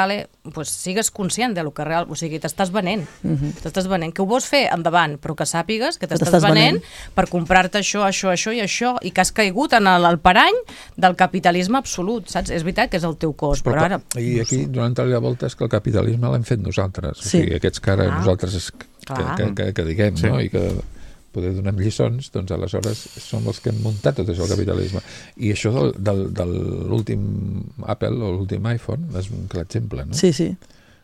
sigues conscient del que real... O sigui, t'estàs venent. T'estàs venent. Que ho vols fer, endavant, però que sàpigues que t'estàs venent per comprar-te això i això, i que has caigut en el parany del capitalisme absolut, saps? És veritat que és el teu cos, però ara... I aquí, donant-li la volta, és que el capitalisme l'hem fet nosaltres. O sigui, aquests que ara nosaltres que diguem, no? I que poder donem lliçons, doncs aleshores som els que hem muntat tot això, el capitalisme. I això de l'últim Apple o l'últim iPhone és un clar exemple, no? Sí. És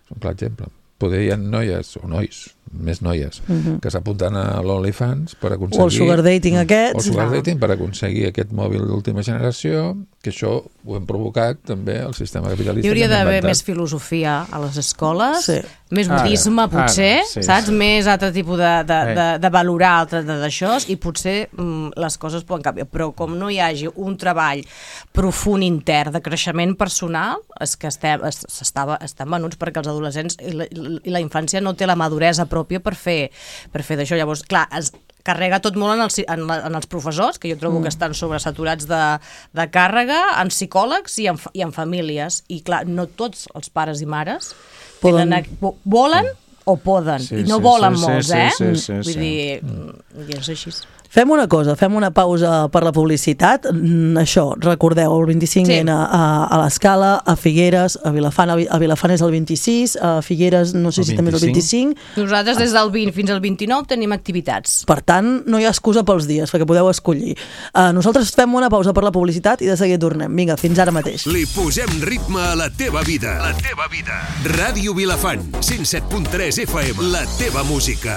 un clar exemple. Poder hi ha noies, o nois, més noies, que s'apunten a l'OnlyFans per aconseguir... O el sugar dating aquest. O el sugar dating per aconseguir aquest mòbil d'última generació, que això ho hem provocat també el sistema capitalista. Hi hauria d'haver més filosofia a les escoles, més budisme potser, saps? Més altre tipus de valorar d'això, i potser les coses poden canviar. Però com no hi hagi un treball profund intern de creixement personal, és que estan venuts perquè els adolescents i la infància no té la maduresa pròpia per fer d'això. Llavors, clar, es carrega tot molt en els professors, que jo trobo que estan sobresaturats de càrrega, en psicòlegs i en famílies. I clar, no tots els pares i mares volen o poden, i no volen molts, vull dir, és així. Fem una cosa, fem una pausa per la publicitat. Això, recordeu, el 25N a l'Escala, a Figueres, a Vilafant és el 26, a Figueres no sé si també és el 25. Nosaltres des del 20 fins al 29 tenim activitats. Per tant, no hi ha excusa pels dies, perquè podeu escollir. Nosaltres fem una pausa per la publicitat i de seguida tornem. Vinga, fins ara mateix. Li posem ritme a la teva vida. La teva vida. Ràdio Vilafant, 107.3 FM. La teva música.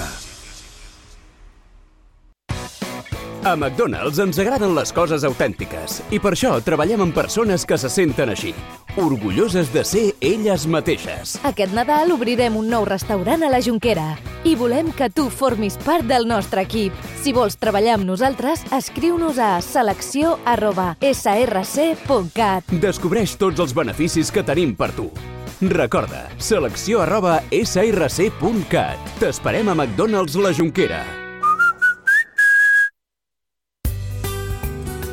A McDonald's ens agraden les coses autèntiques i per això treballem amb persones que se senten així, orgulloses de ser elles mateixes. Aquest Nadal obrirem un nou restaurant a la Jonquera i volem que tu formis part del nostre equip. Si vols treballar amb nosaltres, escriu-nos a selecció@src.cat. Descobreix tots els beneficis que tenim per tu. Recorda, selecció@src.cat. T'esperem a McDonald's la Jonquera.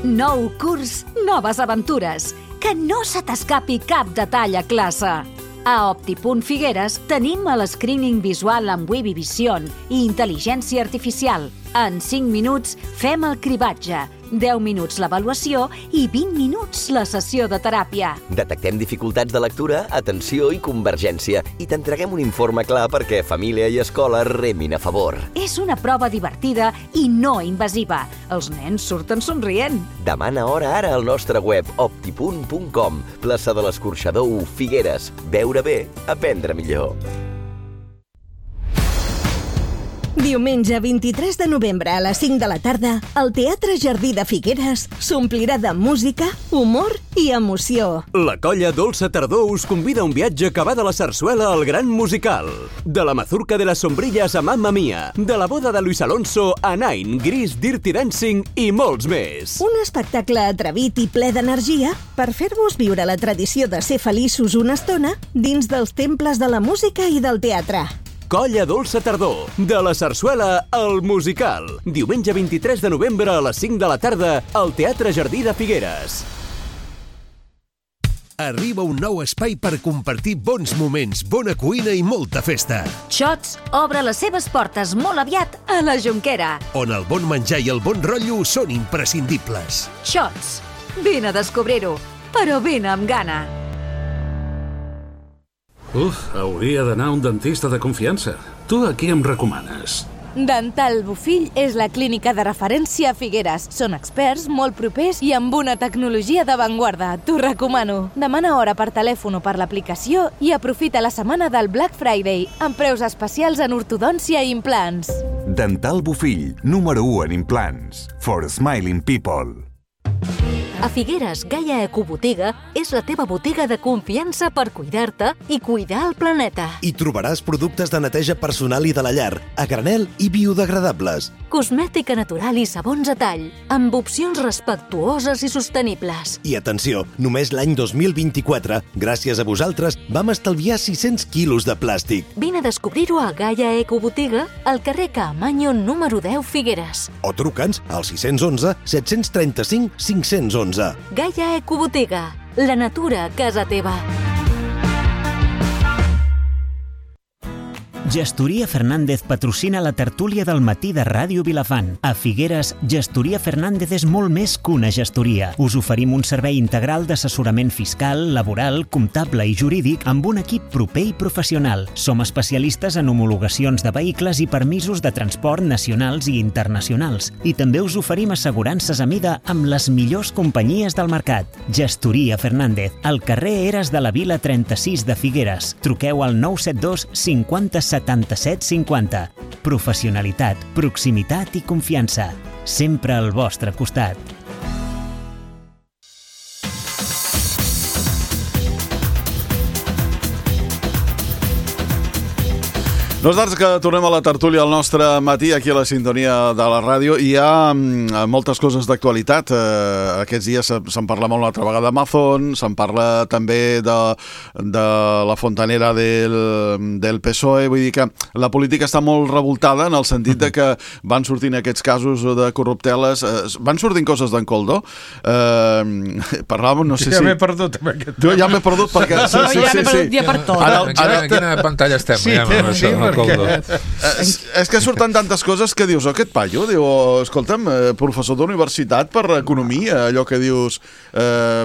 Nou curs, noves aventures. Que no se t'escapi cap detall a classe. A Opti.Figueres tenim el screening visual amb Webby Vision i intel·ligència artificial. En 5 minuts fem el cribatge, 10 minuts l'avaluació i 20 minuts la sessió de teràpia. Detectem dificultats de lectura, atenció i convergència i t'entreguem un informe clar perquè família i escola remin a favor. És una prova divertida i no invasiva. Els nens surten somrient. Demana hora ara al nostre web opti.com, plaça de l'Escorxador 1, Figueres. Veure bé, aprendre millor. Diumenge 23 de novembre a les 5 de la tarda, el Teatre Jardí de Figueres s'omplirà de música, humor i emoció. La colla Dolça Tardor us convida a un viatge que va de la sarsuela al gran musical. De la mazurca de les sombrilles a Mamma Mia, de la boda de Luis Alonso a Nine, Gris, Dirty Dancing i molts més. Un espectacle atrevit i ple d'energia per fer-vos viure la tradició de ser feliços una estona dins dels temples de la música i del teatre. Colla Dolça Tardor, de la sarsuela al musical. Diumenge 23 de novembre a les 5 de la tarda al Teatre Jardí de Figueres. Arriba un nou espai per compartir bons moments, bona cuina i molta festa. Xots obre les seves portes molt aviat a la Jonquera. On el bon menjar i el bon rotllo són imprescindibles. Xots, vine a descobrir-ho, però vine amb gana. Hauria d'anar a un dentista de confiança. Tu a qui em recomanes? Dental Bofill és la clínica de referència a Figueres. Són experts, molt propers i amb una tecnologia d'avantguarda. T'ho recomano. Demana hora per telèfon o per l'aplicació i aprofita la setmana del Black Friday amb preus especials en ortodòncia i implants. Dental Bofill, número 1 en implants. For smiling people. A Figueres, Gaia Ecobotiga és la teva botiga de confiança per cuidar-te i cuidar el planeta. Hi trobaràs productes de neteja personal i de la llar, a granel i biodegradables. Cosmètica natural i sabons a tall, amb opcions respectuoses i sostenibles. I atenció, només l'any 2024, gràcies a vosaltres, vam estalviar 600 quilos de plàstic. Vine a descobrir-ho a Gaia Ecobotiga, al carrer Caamaño número 10 Figueres. O truca'ns al 611 735 511. Gaia Ecobotiga, la natura a casa teva. Gestoria Fernández patrocina la tertúlia del matí de Ràdio Vilafant. A Figueres, Gestoria Fernández és molt més que una gestoria. Us oferim un servei integral d'assessorament fiscal, laboral, comptable i jurídic amb un equip proper i professional. Som especialistes en homologacions de vehicles i permisos de transport nacionals i internacionals. I també us oferim assegurances a mida amb les millors companyies del mercat. Gestoria Fernández, al carrer Eres de la Vila 36 de Figueres. Truqueu al 972 50 77 50. Professionalitat, proximitat i confiança. Sempre al vostre costat. Nosaltres que tornem a la tertúlia al nostre matí aquí a la sintonia de la ràdio. Hi ha moltes coses d'actualitat. Aquests dies se'n parla molt una altra vegada d'Amazon, se'n parla també de la fontanera del PSOE. Vull dir que la política està molt revoltada en el sentit de que van sortint aquests casos de corrupteles, van sortint coses d'en Coldo. Parlàvem, no sé si... Ja m'he perdut amb aquest tema. Jo ja m'he perdut perquè... Ja m'he perdut ja per tot. En quina pantalla estem? Sí, Coldo. És que surten tantes coses que dius, aquest paio, diu, escolta'm, professor d'universitat per economia, allò que dius,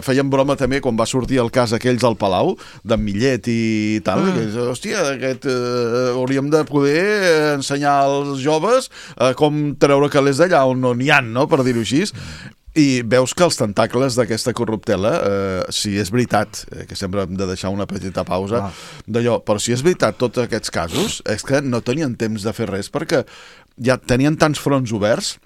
feien broma també quan va sortir el cas aquells al Palau, d'en Millet i tal, que, hòstia, hauríem de poder ensenyar als joves com treure calés d'allà on no n'hi ha, no?, per dir-ho així. I veus que els tentacles d'aquesta corruptela, si és veritat, que sempre hem de deixar una petita pausa d'allò, però si és veritat tots aquests casos, és que no tenien temps de fer res perquè ja tenien tants fronts oberts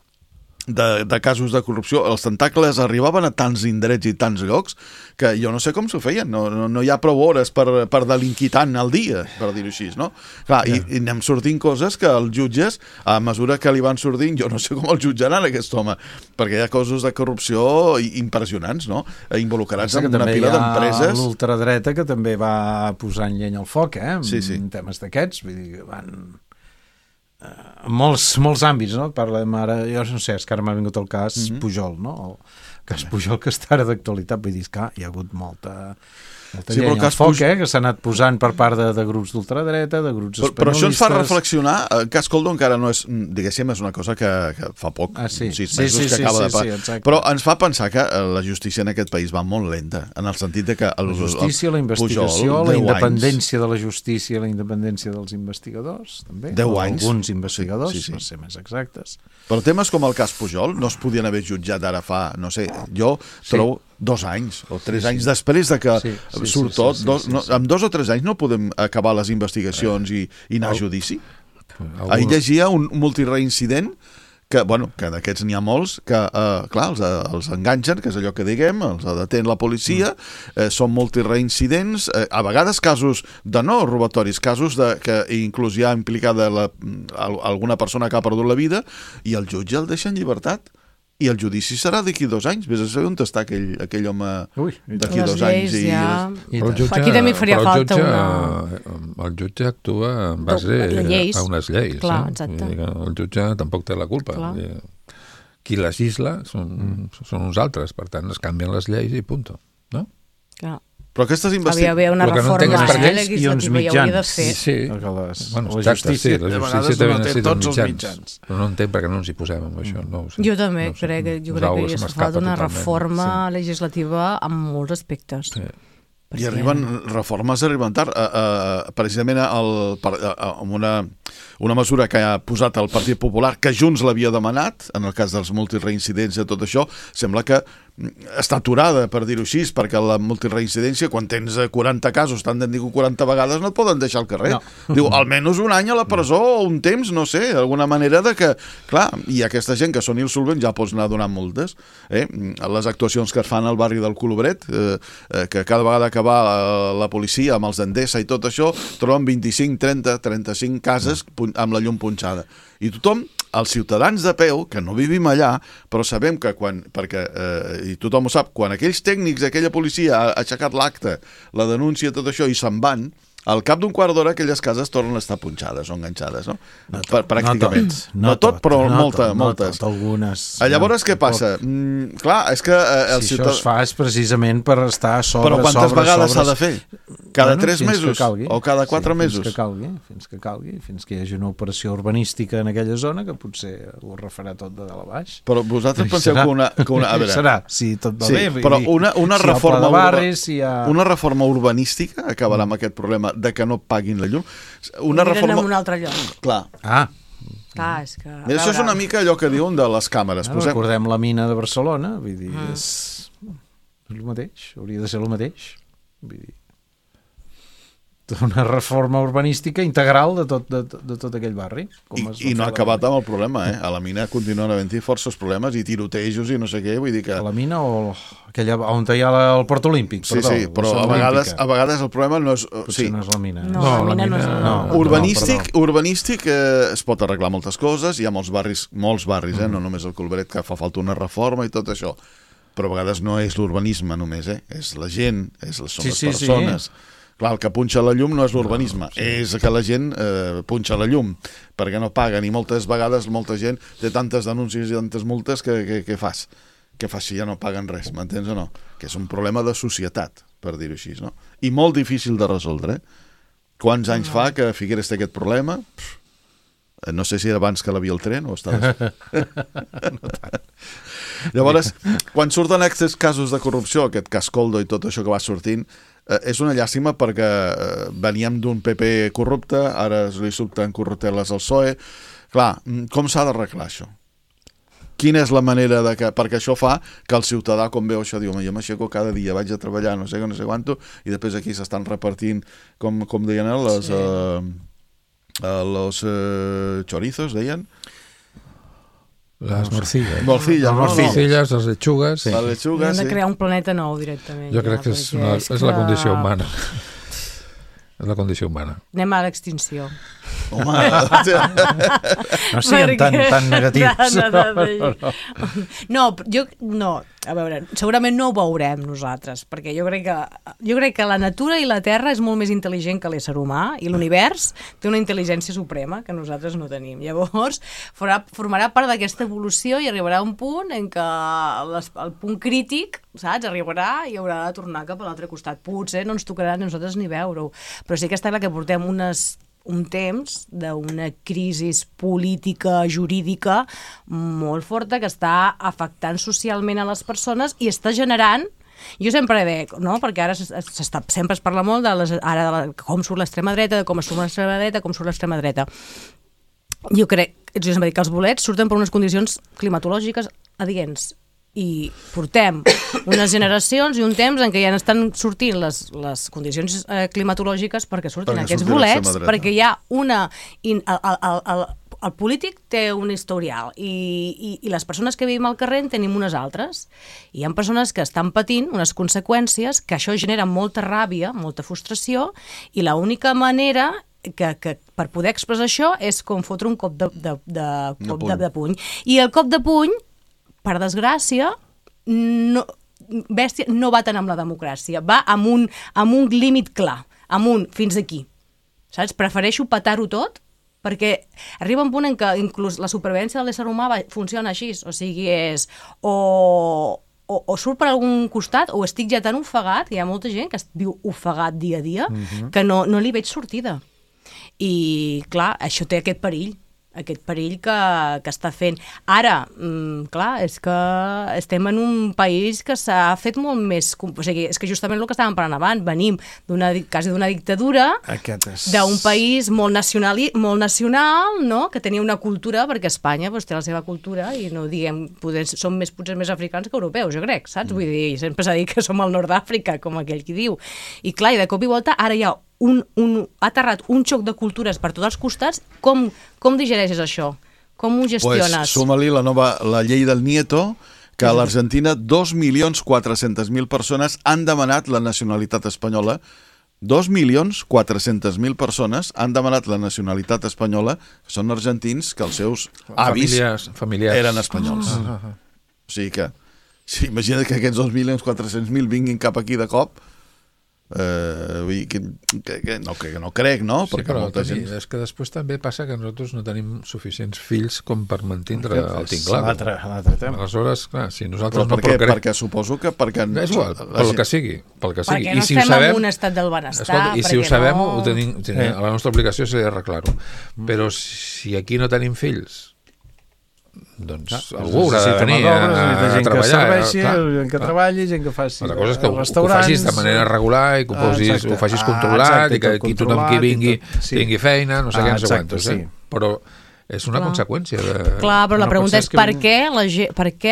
de casos de corrupció, els tentacles arribaven a tants indrets i tants llocs que jo no sé com s'ho feien, no hi ha prou hores per delinquir tant al dia, per dir-ho així, no? Clar, i anem sortint coses que els jutges, a mesura que li van sortint, jo no sé com el jutjaran aquest home, perquè hi ha coses de corrupció impressionants, no? Involucrats en una pila d'empreses. També hi ha l'ultradreta que també va posant llenya al foc, en temes d'aquests, vull dir, van... molts àmbits, no? Parlem ara, jo no sé, és que ara m'ha vingut el cas Pujol, no? El cas Pujol, que està ara d'actualitat, vull dir que hi ha hagut molta llenya al foc, que s'ha anat posant per part de grups d'ultradreta, de grups espanyolistes. Però això ens fa reflexionar, el cas Coldo encara no és, diguéssim, és una cosa que fa poc, 6 mesos que acaba de passar. Però ens fa pensar que la justícia en aquest país va molt lenta, en el sentit de que... La justícia, la investigació, la independència de la justícia, la independència dels investigadors, també. 10 anys. Alguns investigadors, per ser més exactes. Però temes com el cas Pujol no es podien haver jutjat ara fa, no sé, jo trobo 2 anys o 3 anys després de que surt tot. Amb 2 o 3 anys no podem acabar les investigacions i anar a judici? Ahir llegia un multireincident que d'aquests n'hi ha molts, que, clar, els enganxen, que és allò que diguem, els detén la policia, són multireincidents, a vegades casos de no robatoris, casos que inclús hi ha implicada alguna persona que ha perdut la vida, i el jutge el deixa en llibertat. I el judici serà d'aquí 2 anys. Vés a saber on està aquell home d'aquí 2 anys. Aquí també faria falta el jutge actua en base a unes lleis. Clar, exacte. El jutge tampoc té la culpa. Qui legisla són uns altres, per tant es canvien les lleis i punt. No? Clar. Però aquestes investigacions... Havia d'haver una reforma legislativa i hauria de fer. Sí. La justícia també necessita uns mitjans. Però no entenc perquè no ens hi posem amb això. Jo també crec que hauria estat una reforma legislativa en molts aspectes. I reformes arriben tard. Precisament amb una mesura que ha posat el Partit Popular, que Junts l'havia demanat, en el cas dels multireincidents i tot això, sembla que està aturada, per dir-ho així, perquè la multireincidència, quan tens 40 casos, t'han de dir 40 vegades, no et poden deixar al carrer. Diu, almenys un any a la presó o un temps, no sé, d'alguna manera de que, clar, i aquesta gent que són insolvents ja pots anar donant multes. Les actuacions que es fan al barri del Colobret, que cada vegada que va la policia amb els d'Endesa i tot això, troben 25, 30, 35 cases amb la llum punxada. I tothom, els ciutadans de peu, que no vivim allà, però sabem que i tothom ho sap, quan aquells tècnics d'aquella policia ha aixecat l'acte, la denúncia, tot això, i se'n van, al cap d'un quart d'hora aquelles cases tornen a estar punxades o enganxades, no? Pràcticament. No tot, però moltes. Algunes. Llavors, què passa? Clar, és que... Si això es fa és precisament per estar a sobre, però quantes vegades s'ha de fer? Cada 3 mesos? O cada 4 mesos? Fins que calgui, fins que hi hagi una operació urbanística en aquella zona que potser ho refarà tot de dalt a baix. Però vosaltres penseu que una... A veure, serà, si tot va bé. Però una reforma urbanística acabarà amb aquest problema de que no paguin la llum. Una reforma... en un altre lloc. Clar. Clar, és que... Això és una mica allò que diuen de les càmeres. Recordem la mina de Barcelona, vull dir, és el mateix, hauria de ser el mateix. Vull dir, una reforma urbanística integral de tot aquell barri. I no ha acabat amb el problema, A la mina continuen havent-hi forces problemes i tirotejos i no sé què, vull dir que... A la mina o aquella on hi ha el Port Olímpic? Sí, però a vegades el problema no és... Potser no és la mina. No, la mina no és... Urbanístic es pot arreglar moltes coses, hi ha molts barris, no només el Colbret, que fa falta una reforma i tot això, però a vegades no és l'urbanisme només, és la gent, són les persones... Clar, el que punxa la llum no és l'urbanisme, és que la gent punxa la llum, perquè no paguen, i moltes vegades molta gent té tantes denúncies i tantes multes que què fas? Què fas si ja no paguen res, m'entens o no? Que és un problema de societat, per dir-ho així, no? I molt difícil de resoldre, Quants anys fa que Figueres té aquest problema? No sé si era abans que l'havia el tren o estava... No tant. Llavors, quan surten aquests casos de corrupció, aquest cas Coldo i tot això que va sortint, és una llàstima perquè veníem d'un PP corrupte, ara li surten corrupteles al PSOE. Clar, com s'ha d'arreglar això? Quina és la manera de que... Perquè això fa que el ciutadà, com veu això, diu, jo m'aixeco cada dia, vaig a treballar, no sé quanto, i després aquí s'estan repartint, com deien, los chorizos, deien? Les morcilles. Morcilles, les lechugues. Les lechugues, hem de crear un planeta nou directament. Jo crec que és la condició humana. És la condició humana. Anem a l'extinció. Home, no siguem tan negatius. No, a veure, segurament no ho veurem nosaltres, perquè jo crec que la natura i la Terra és molt més intel·ligent que l'ésser humà, i l'univers té una intel·ligència suprema que nosaltres no tenim. Llavors, formarà part d'aquesta evolució i arribarà a un punt en què el punt crític, saps, arribarà i haurà de tornar cap a l'altre costat. Potser no ens tocarà a nosaltres ni veure-ho, però sí que està clar que portem un temps d'una crisi política, jurídica molt forta que està afectant socialment a les persones i està generant, jo sempre veig, no? Perquè ara sempre es parla molt de com surt l'extrema dreta, de com surt l'extrema dreta, com surt l'extrema dreta. Jo sempre dic que els bolets surten per unes condicions climatològiques adients i portem unes generacions i un temps en què ja estan sortint les condicions climatològiques perquè surtin aquests bolets, perquè hi ha el polític té un historial i les persones que vivim al carrer en tenim unes altres. I hi ha persones que estan patint unes conseqüències que això genera molta ràbia, molta frustració, i l'única manera que per poder expressar això és com fotre un cop de puny. I el cop de puny, per desgràcia, bèstia no va tant amb la democràcia, va amb un límit clar, fins aquí. Saps? Prefereixo petar-ho tot, perquè arriba un punt en què inclús la supervivència de l'ésser humà funciona així, o sigui, és o surt per algun costat o estic ja tan ofegat, hi ha molta gent que viu ofegat dia a dia, que no li veig sortida. I, clar, això té aquest perill que està fent. Ara, clar, és que estem en un país que s'ha fet molt més... O sigui, és que justament el que estàvem parlant abans, venim quasi d'una dictadura, d'un país molt nacional, no? Que tenia una cultura, perquè Espanya té la seva cultura i no diguem, som potser més africans que europeus, jo crec, saps? Vull dir, sempre s'ha dit que som al nord d'Àfrica, com aquell qui diu. I clar, i de cop i volta, ara hi ha ha aterrat un xoc de cultures per tots els costats. Com digereixes això? Com ho gestiones? Pues suma-li la llei del Nieto, que a l'Argentina 2.400.000 persones han demanat la nacionalitat espanyola. 2.400.000 persones han demanat la nacionalitat espanyola, que són argentins, que els seus avis eren espanyols. O sigui que, imagina't que aquests 2.400.000 vinguin cap aquí de cop. No crec, no? Sí, però és que després també passa que nosaltres no tenim suficients fills com per mantindre el tinglado. L'altre tema. Aleshores, clar, si nosaltres no procreem... Perquè suposo que... És igual, pel que sigui. Perquè no estem en un estat del benestar. I si ho sabem, la nostra obligació és arreglar-ho. Però si aquí no tenim fills, doncs algú haurà de venir a treballar. Gent que treballi, gent que faci la cosa és que ho facis de manera regular i que ho facis controlat i que tothom qui vingui tingui feina, no sé què, no sé quantos. Però és una conseqüència. Clar, però la pregunta és per què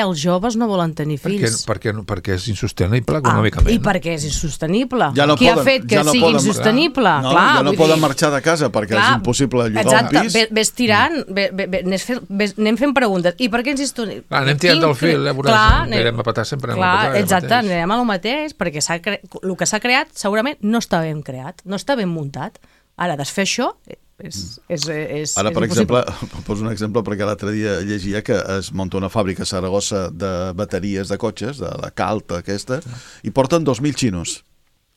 els joves no volen tenir fills? Perquè és insostenible econòmicament. I per què és insostenible? Qui ha fet que sigui insostenible? Ja no poden marxar de casa perquè és impossible llogar un pis. Ves tirant, anem fent preguntes. I per què és insostenible? Anem tirant del fil, anirem a petar sempre. Exacte, anirem a lo mateix, perquè el que s'ha creat segurament no està ben creat, no està ben muntat. Ara, desfer això és ara, per exemple, poso un exemple perquè l'altre dia llegia que es munta una fàbrica a Saragossa de bateries de cotxes, de la Calta aquesta, i porten 2.000 xinos.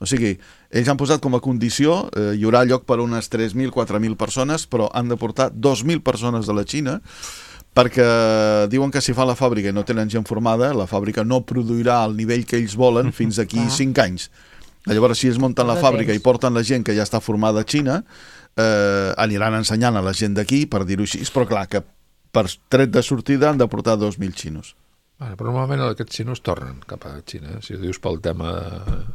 O sigui, ells han posat com a condició, hi haurà lloc per unes 3.000, 4.000 persones, però han de portar 2.000 persones de la Xina, perquè diuen que si fa la fàbrica i no tenen gent formada, la fàbrica no produirà al nivell que ells volen fins aquí 5 anys. Llavors, si es munten la fàbrica i porten la gent que ja està formada a Xina, aniran ensenyant a la gent d'aquí, per dir-ho així, però clar, que per tret de sortida han de portar 2.000 xinos. Però normalment aquests xinos tornen cap a Xina, si dius pel tema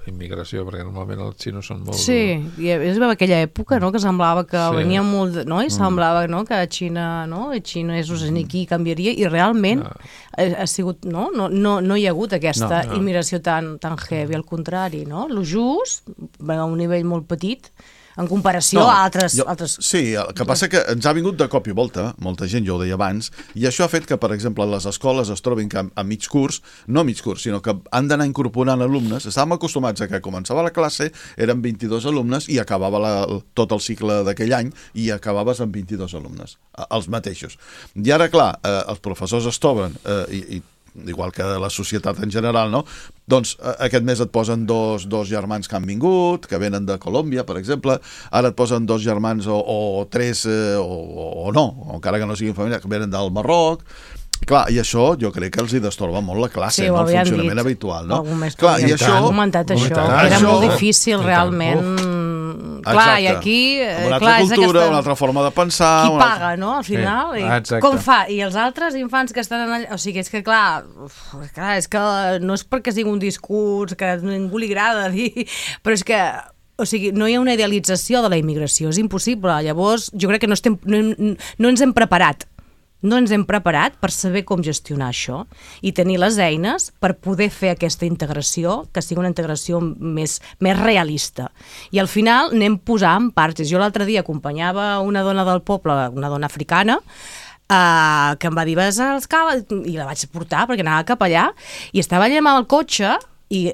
d'immigració, perquè normalment els xinos són molt... Sí, i és aquella època, no?, que semblava que venia molt... No? I semblava, no?, que Xina, no?, xinesos aquí canviaria, i realment ha sigut... No hi ha hagut aquesta immigració tan heavy, al contrari, no? Lo just, a un nivell molt petit, en comparació a altres... Sí, el que passa que ens ha vingut de cop i volta, molta gent, jo ho deia abans, i això ha fet que, per exemple, les escoles es trobin que a mig curs, no a mig curs, sinó que han d'anar incorporant alumnes. Estàvem acostumats a que començava la classe, eren 22 alumnes i acabava tot el cicle d'aquell any i acabaves amb 22 alumnes, els mateixos. I ara, clar, els professors es troben, igual que la societat en general, no? Doncs aquest mes et posen dos germans que han vingut, que venen de Colòmbia, per exemple, ara et posen 2 germans o 3 o no, encara que no siguin família, que venen del Marroc. Clar, i això jo crec que els hi destorba molt la classe, el funcionament habitual, no? Clar, i això... Hem comentat això, que era molt difícil realment... Clar, i aquí... Una altra cultura, una altra forma de pensar... Qui paga, no?, al final. Com fa? I els altres infants que estan allà... O sigui, és que clar, és que no és perquè sigui un discurs que a ningú li agrada dir, però és que... O sigui, no hi ha una idealització de la immigració, és impossible. Llavors, jo crec que no ens hem preparat. No ens hem preparat per saber com gestionar això i tenir les eines per poder fer aquesta integració, que sigui una integració més realista. I al final anem posant parts. Jo l'altre dia acompanyava una dona del poble, una dona africana, que em va dir, vas als caves, i la vaig portar perquè anava cap allà, i estava allà amb el cotxe i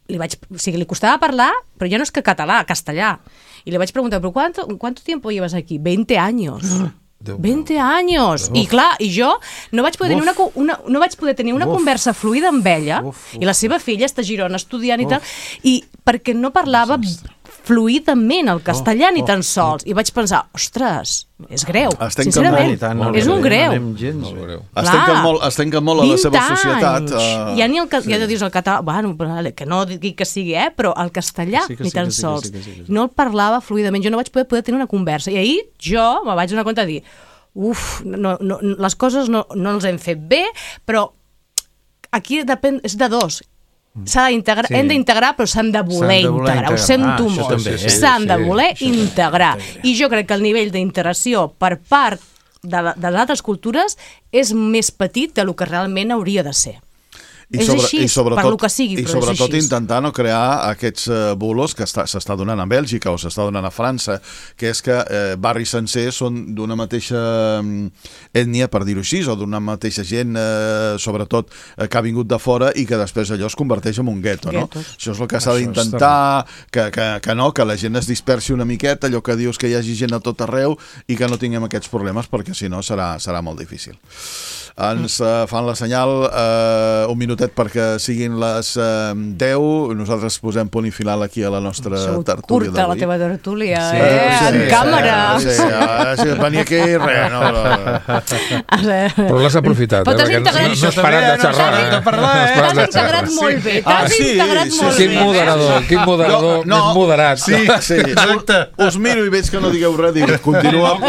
li costava parlar, però ja no és que català, castellà. I li vaig preguntar, però ¿cuánto tiempo llevas aquí? 20 años. 20 anys! I clar, i jo no vaig poder tenir una conversa fluida amb ella, i la seva filla està a Girona estudiant i tal, i perquè no parlava fluidament el castellà ni tan sols, i vaig pensar, ostres, és greu, sincerament, és un greu. Es trenquen molt a la seva societat. Ja dius el català, bueno, que no digui que sigui, però el castellà ni tan sols. No el parlava fluidament, jo no vaig poder tenir una conversa, i ahir jo me vaig donar compte de dir, les coses no els hem fet bé, però aquí depèn, és de dos. Hem d'integrar, però s'han de voler integrar, ho sento molt, s'han de voler integrar, i jo crec que el nivell d'integració per part de les altres cultures és més petit del que realment hauria de ser. És així, per lo que sigui, però és així. I sobretot intentar no crear aquests bulos que s'està donant a Bèlgica o s'està donant a França, que és que barris sencers són d'una mateixa ètnia, per dir-ho així, o d'una mateixa gent, sobretot, que ha vingut de fora i que després allò es converteix en un gueto, no? Això és el que s'ha d'intentar, que la gent es dispersi una miqueta, allò que dius que hi hagi gent a tot arreu i que no tinguem aquests problemes, perquè si no serà molt difícil. Ens fan la senyal, un minutet perquè siguin les 10, nosaltres posem punt i final aquí a la nostra tertúlia d'avui. Curta la teva tertúlia, en càmera. Sí, venia aquí i res. Però l'has aprofitat, perquè no has parat de xerrar. T'has integrat molt bé, t'has integrat molt bé. Quin moderador més moderat. Sí, exacte. Us miro i veig que no digueu res, dic, continua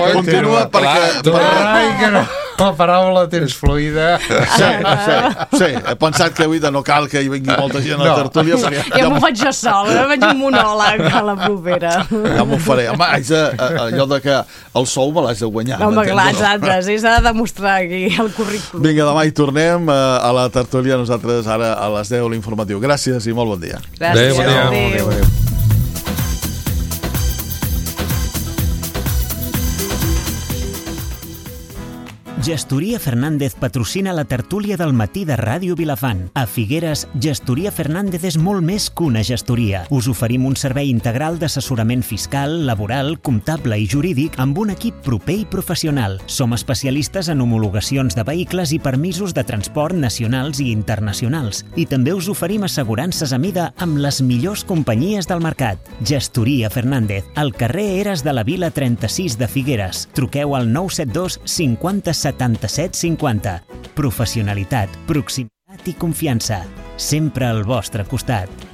perquè... La paraula tens fluida. Sí, he pensat que avui no cal que hi vingui molta gent a la tertúlia. Ja m'ho faig jo sol, faig un monòleg a la propera. Ja m'ho faré. Home, allò de que el sou me l'haig de guanyar. Home, clar, exacte, sí, s'ha de demostrar aquí el currículum. Vinga, demà hi tornem a la tertúlia, nosaltres ara a les 10 l'informatiu. Gràcies i molt bon dia. Gràcies. Adéu. Gestoria Fernández patrocina la tertúlia del matí de Ràdio Vilafant. A Figueres, Gestoria Fernández és molt més que una gestoria. Us oferim un servei integral d'assessorament fiscal, laboral, comptable i jurídic amb un equip proper i professional. Som especialistes en homologacions de vehicles i permisos de transport nacionals i internacionals. I també us oferim assegurances a mida amb les millors companyies del mercat. Gestoria Fernández, al carrer Eres de la Vila 36 de Figueres. Truqueu al 972 50 77 50. Professionalitat, proximitat i confiança. Sempre al vostre costat.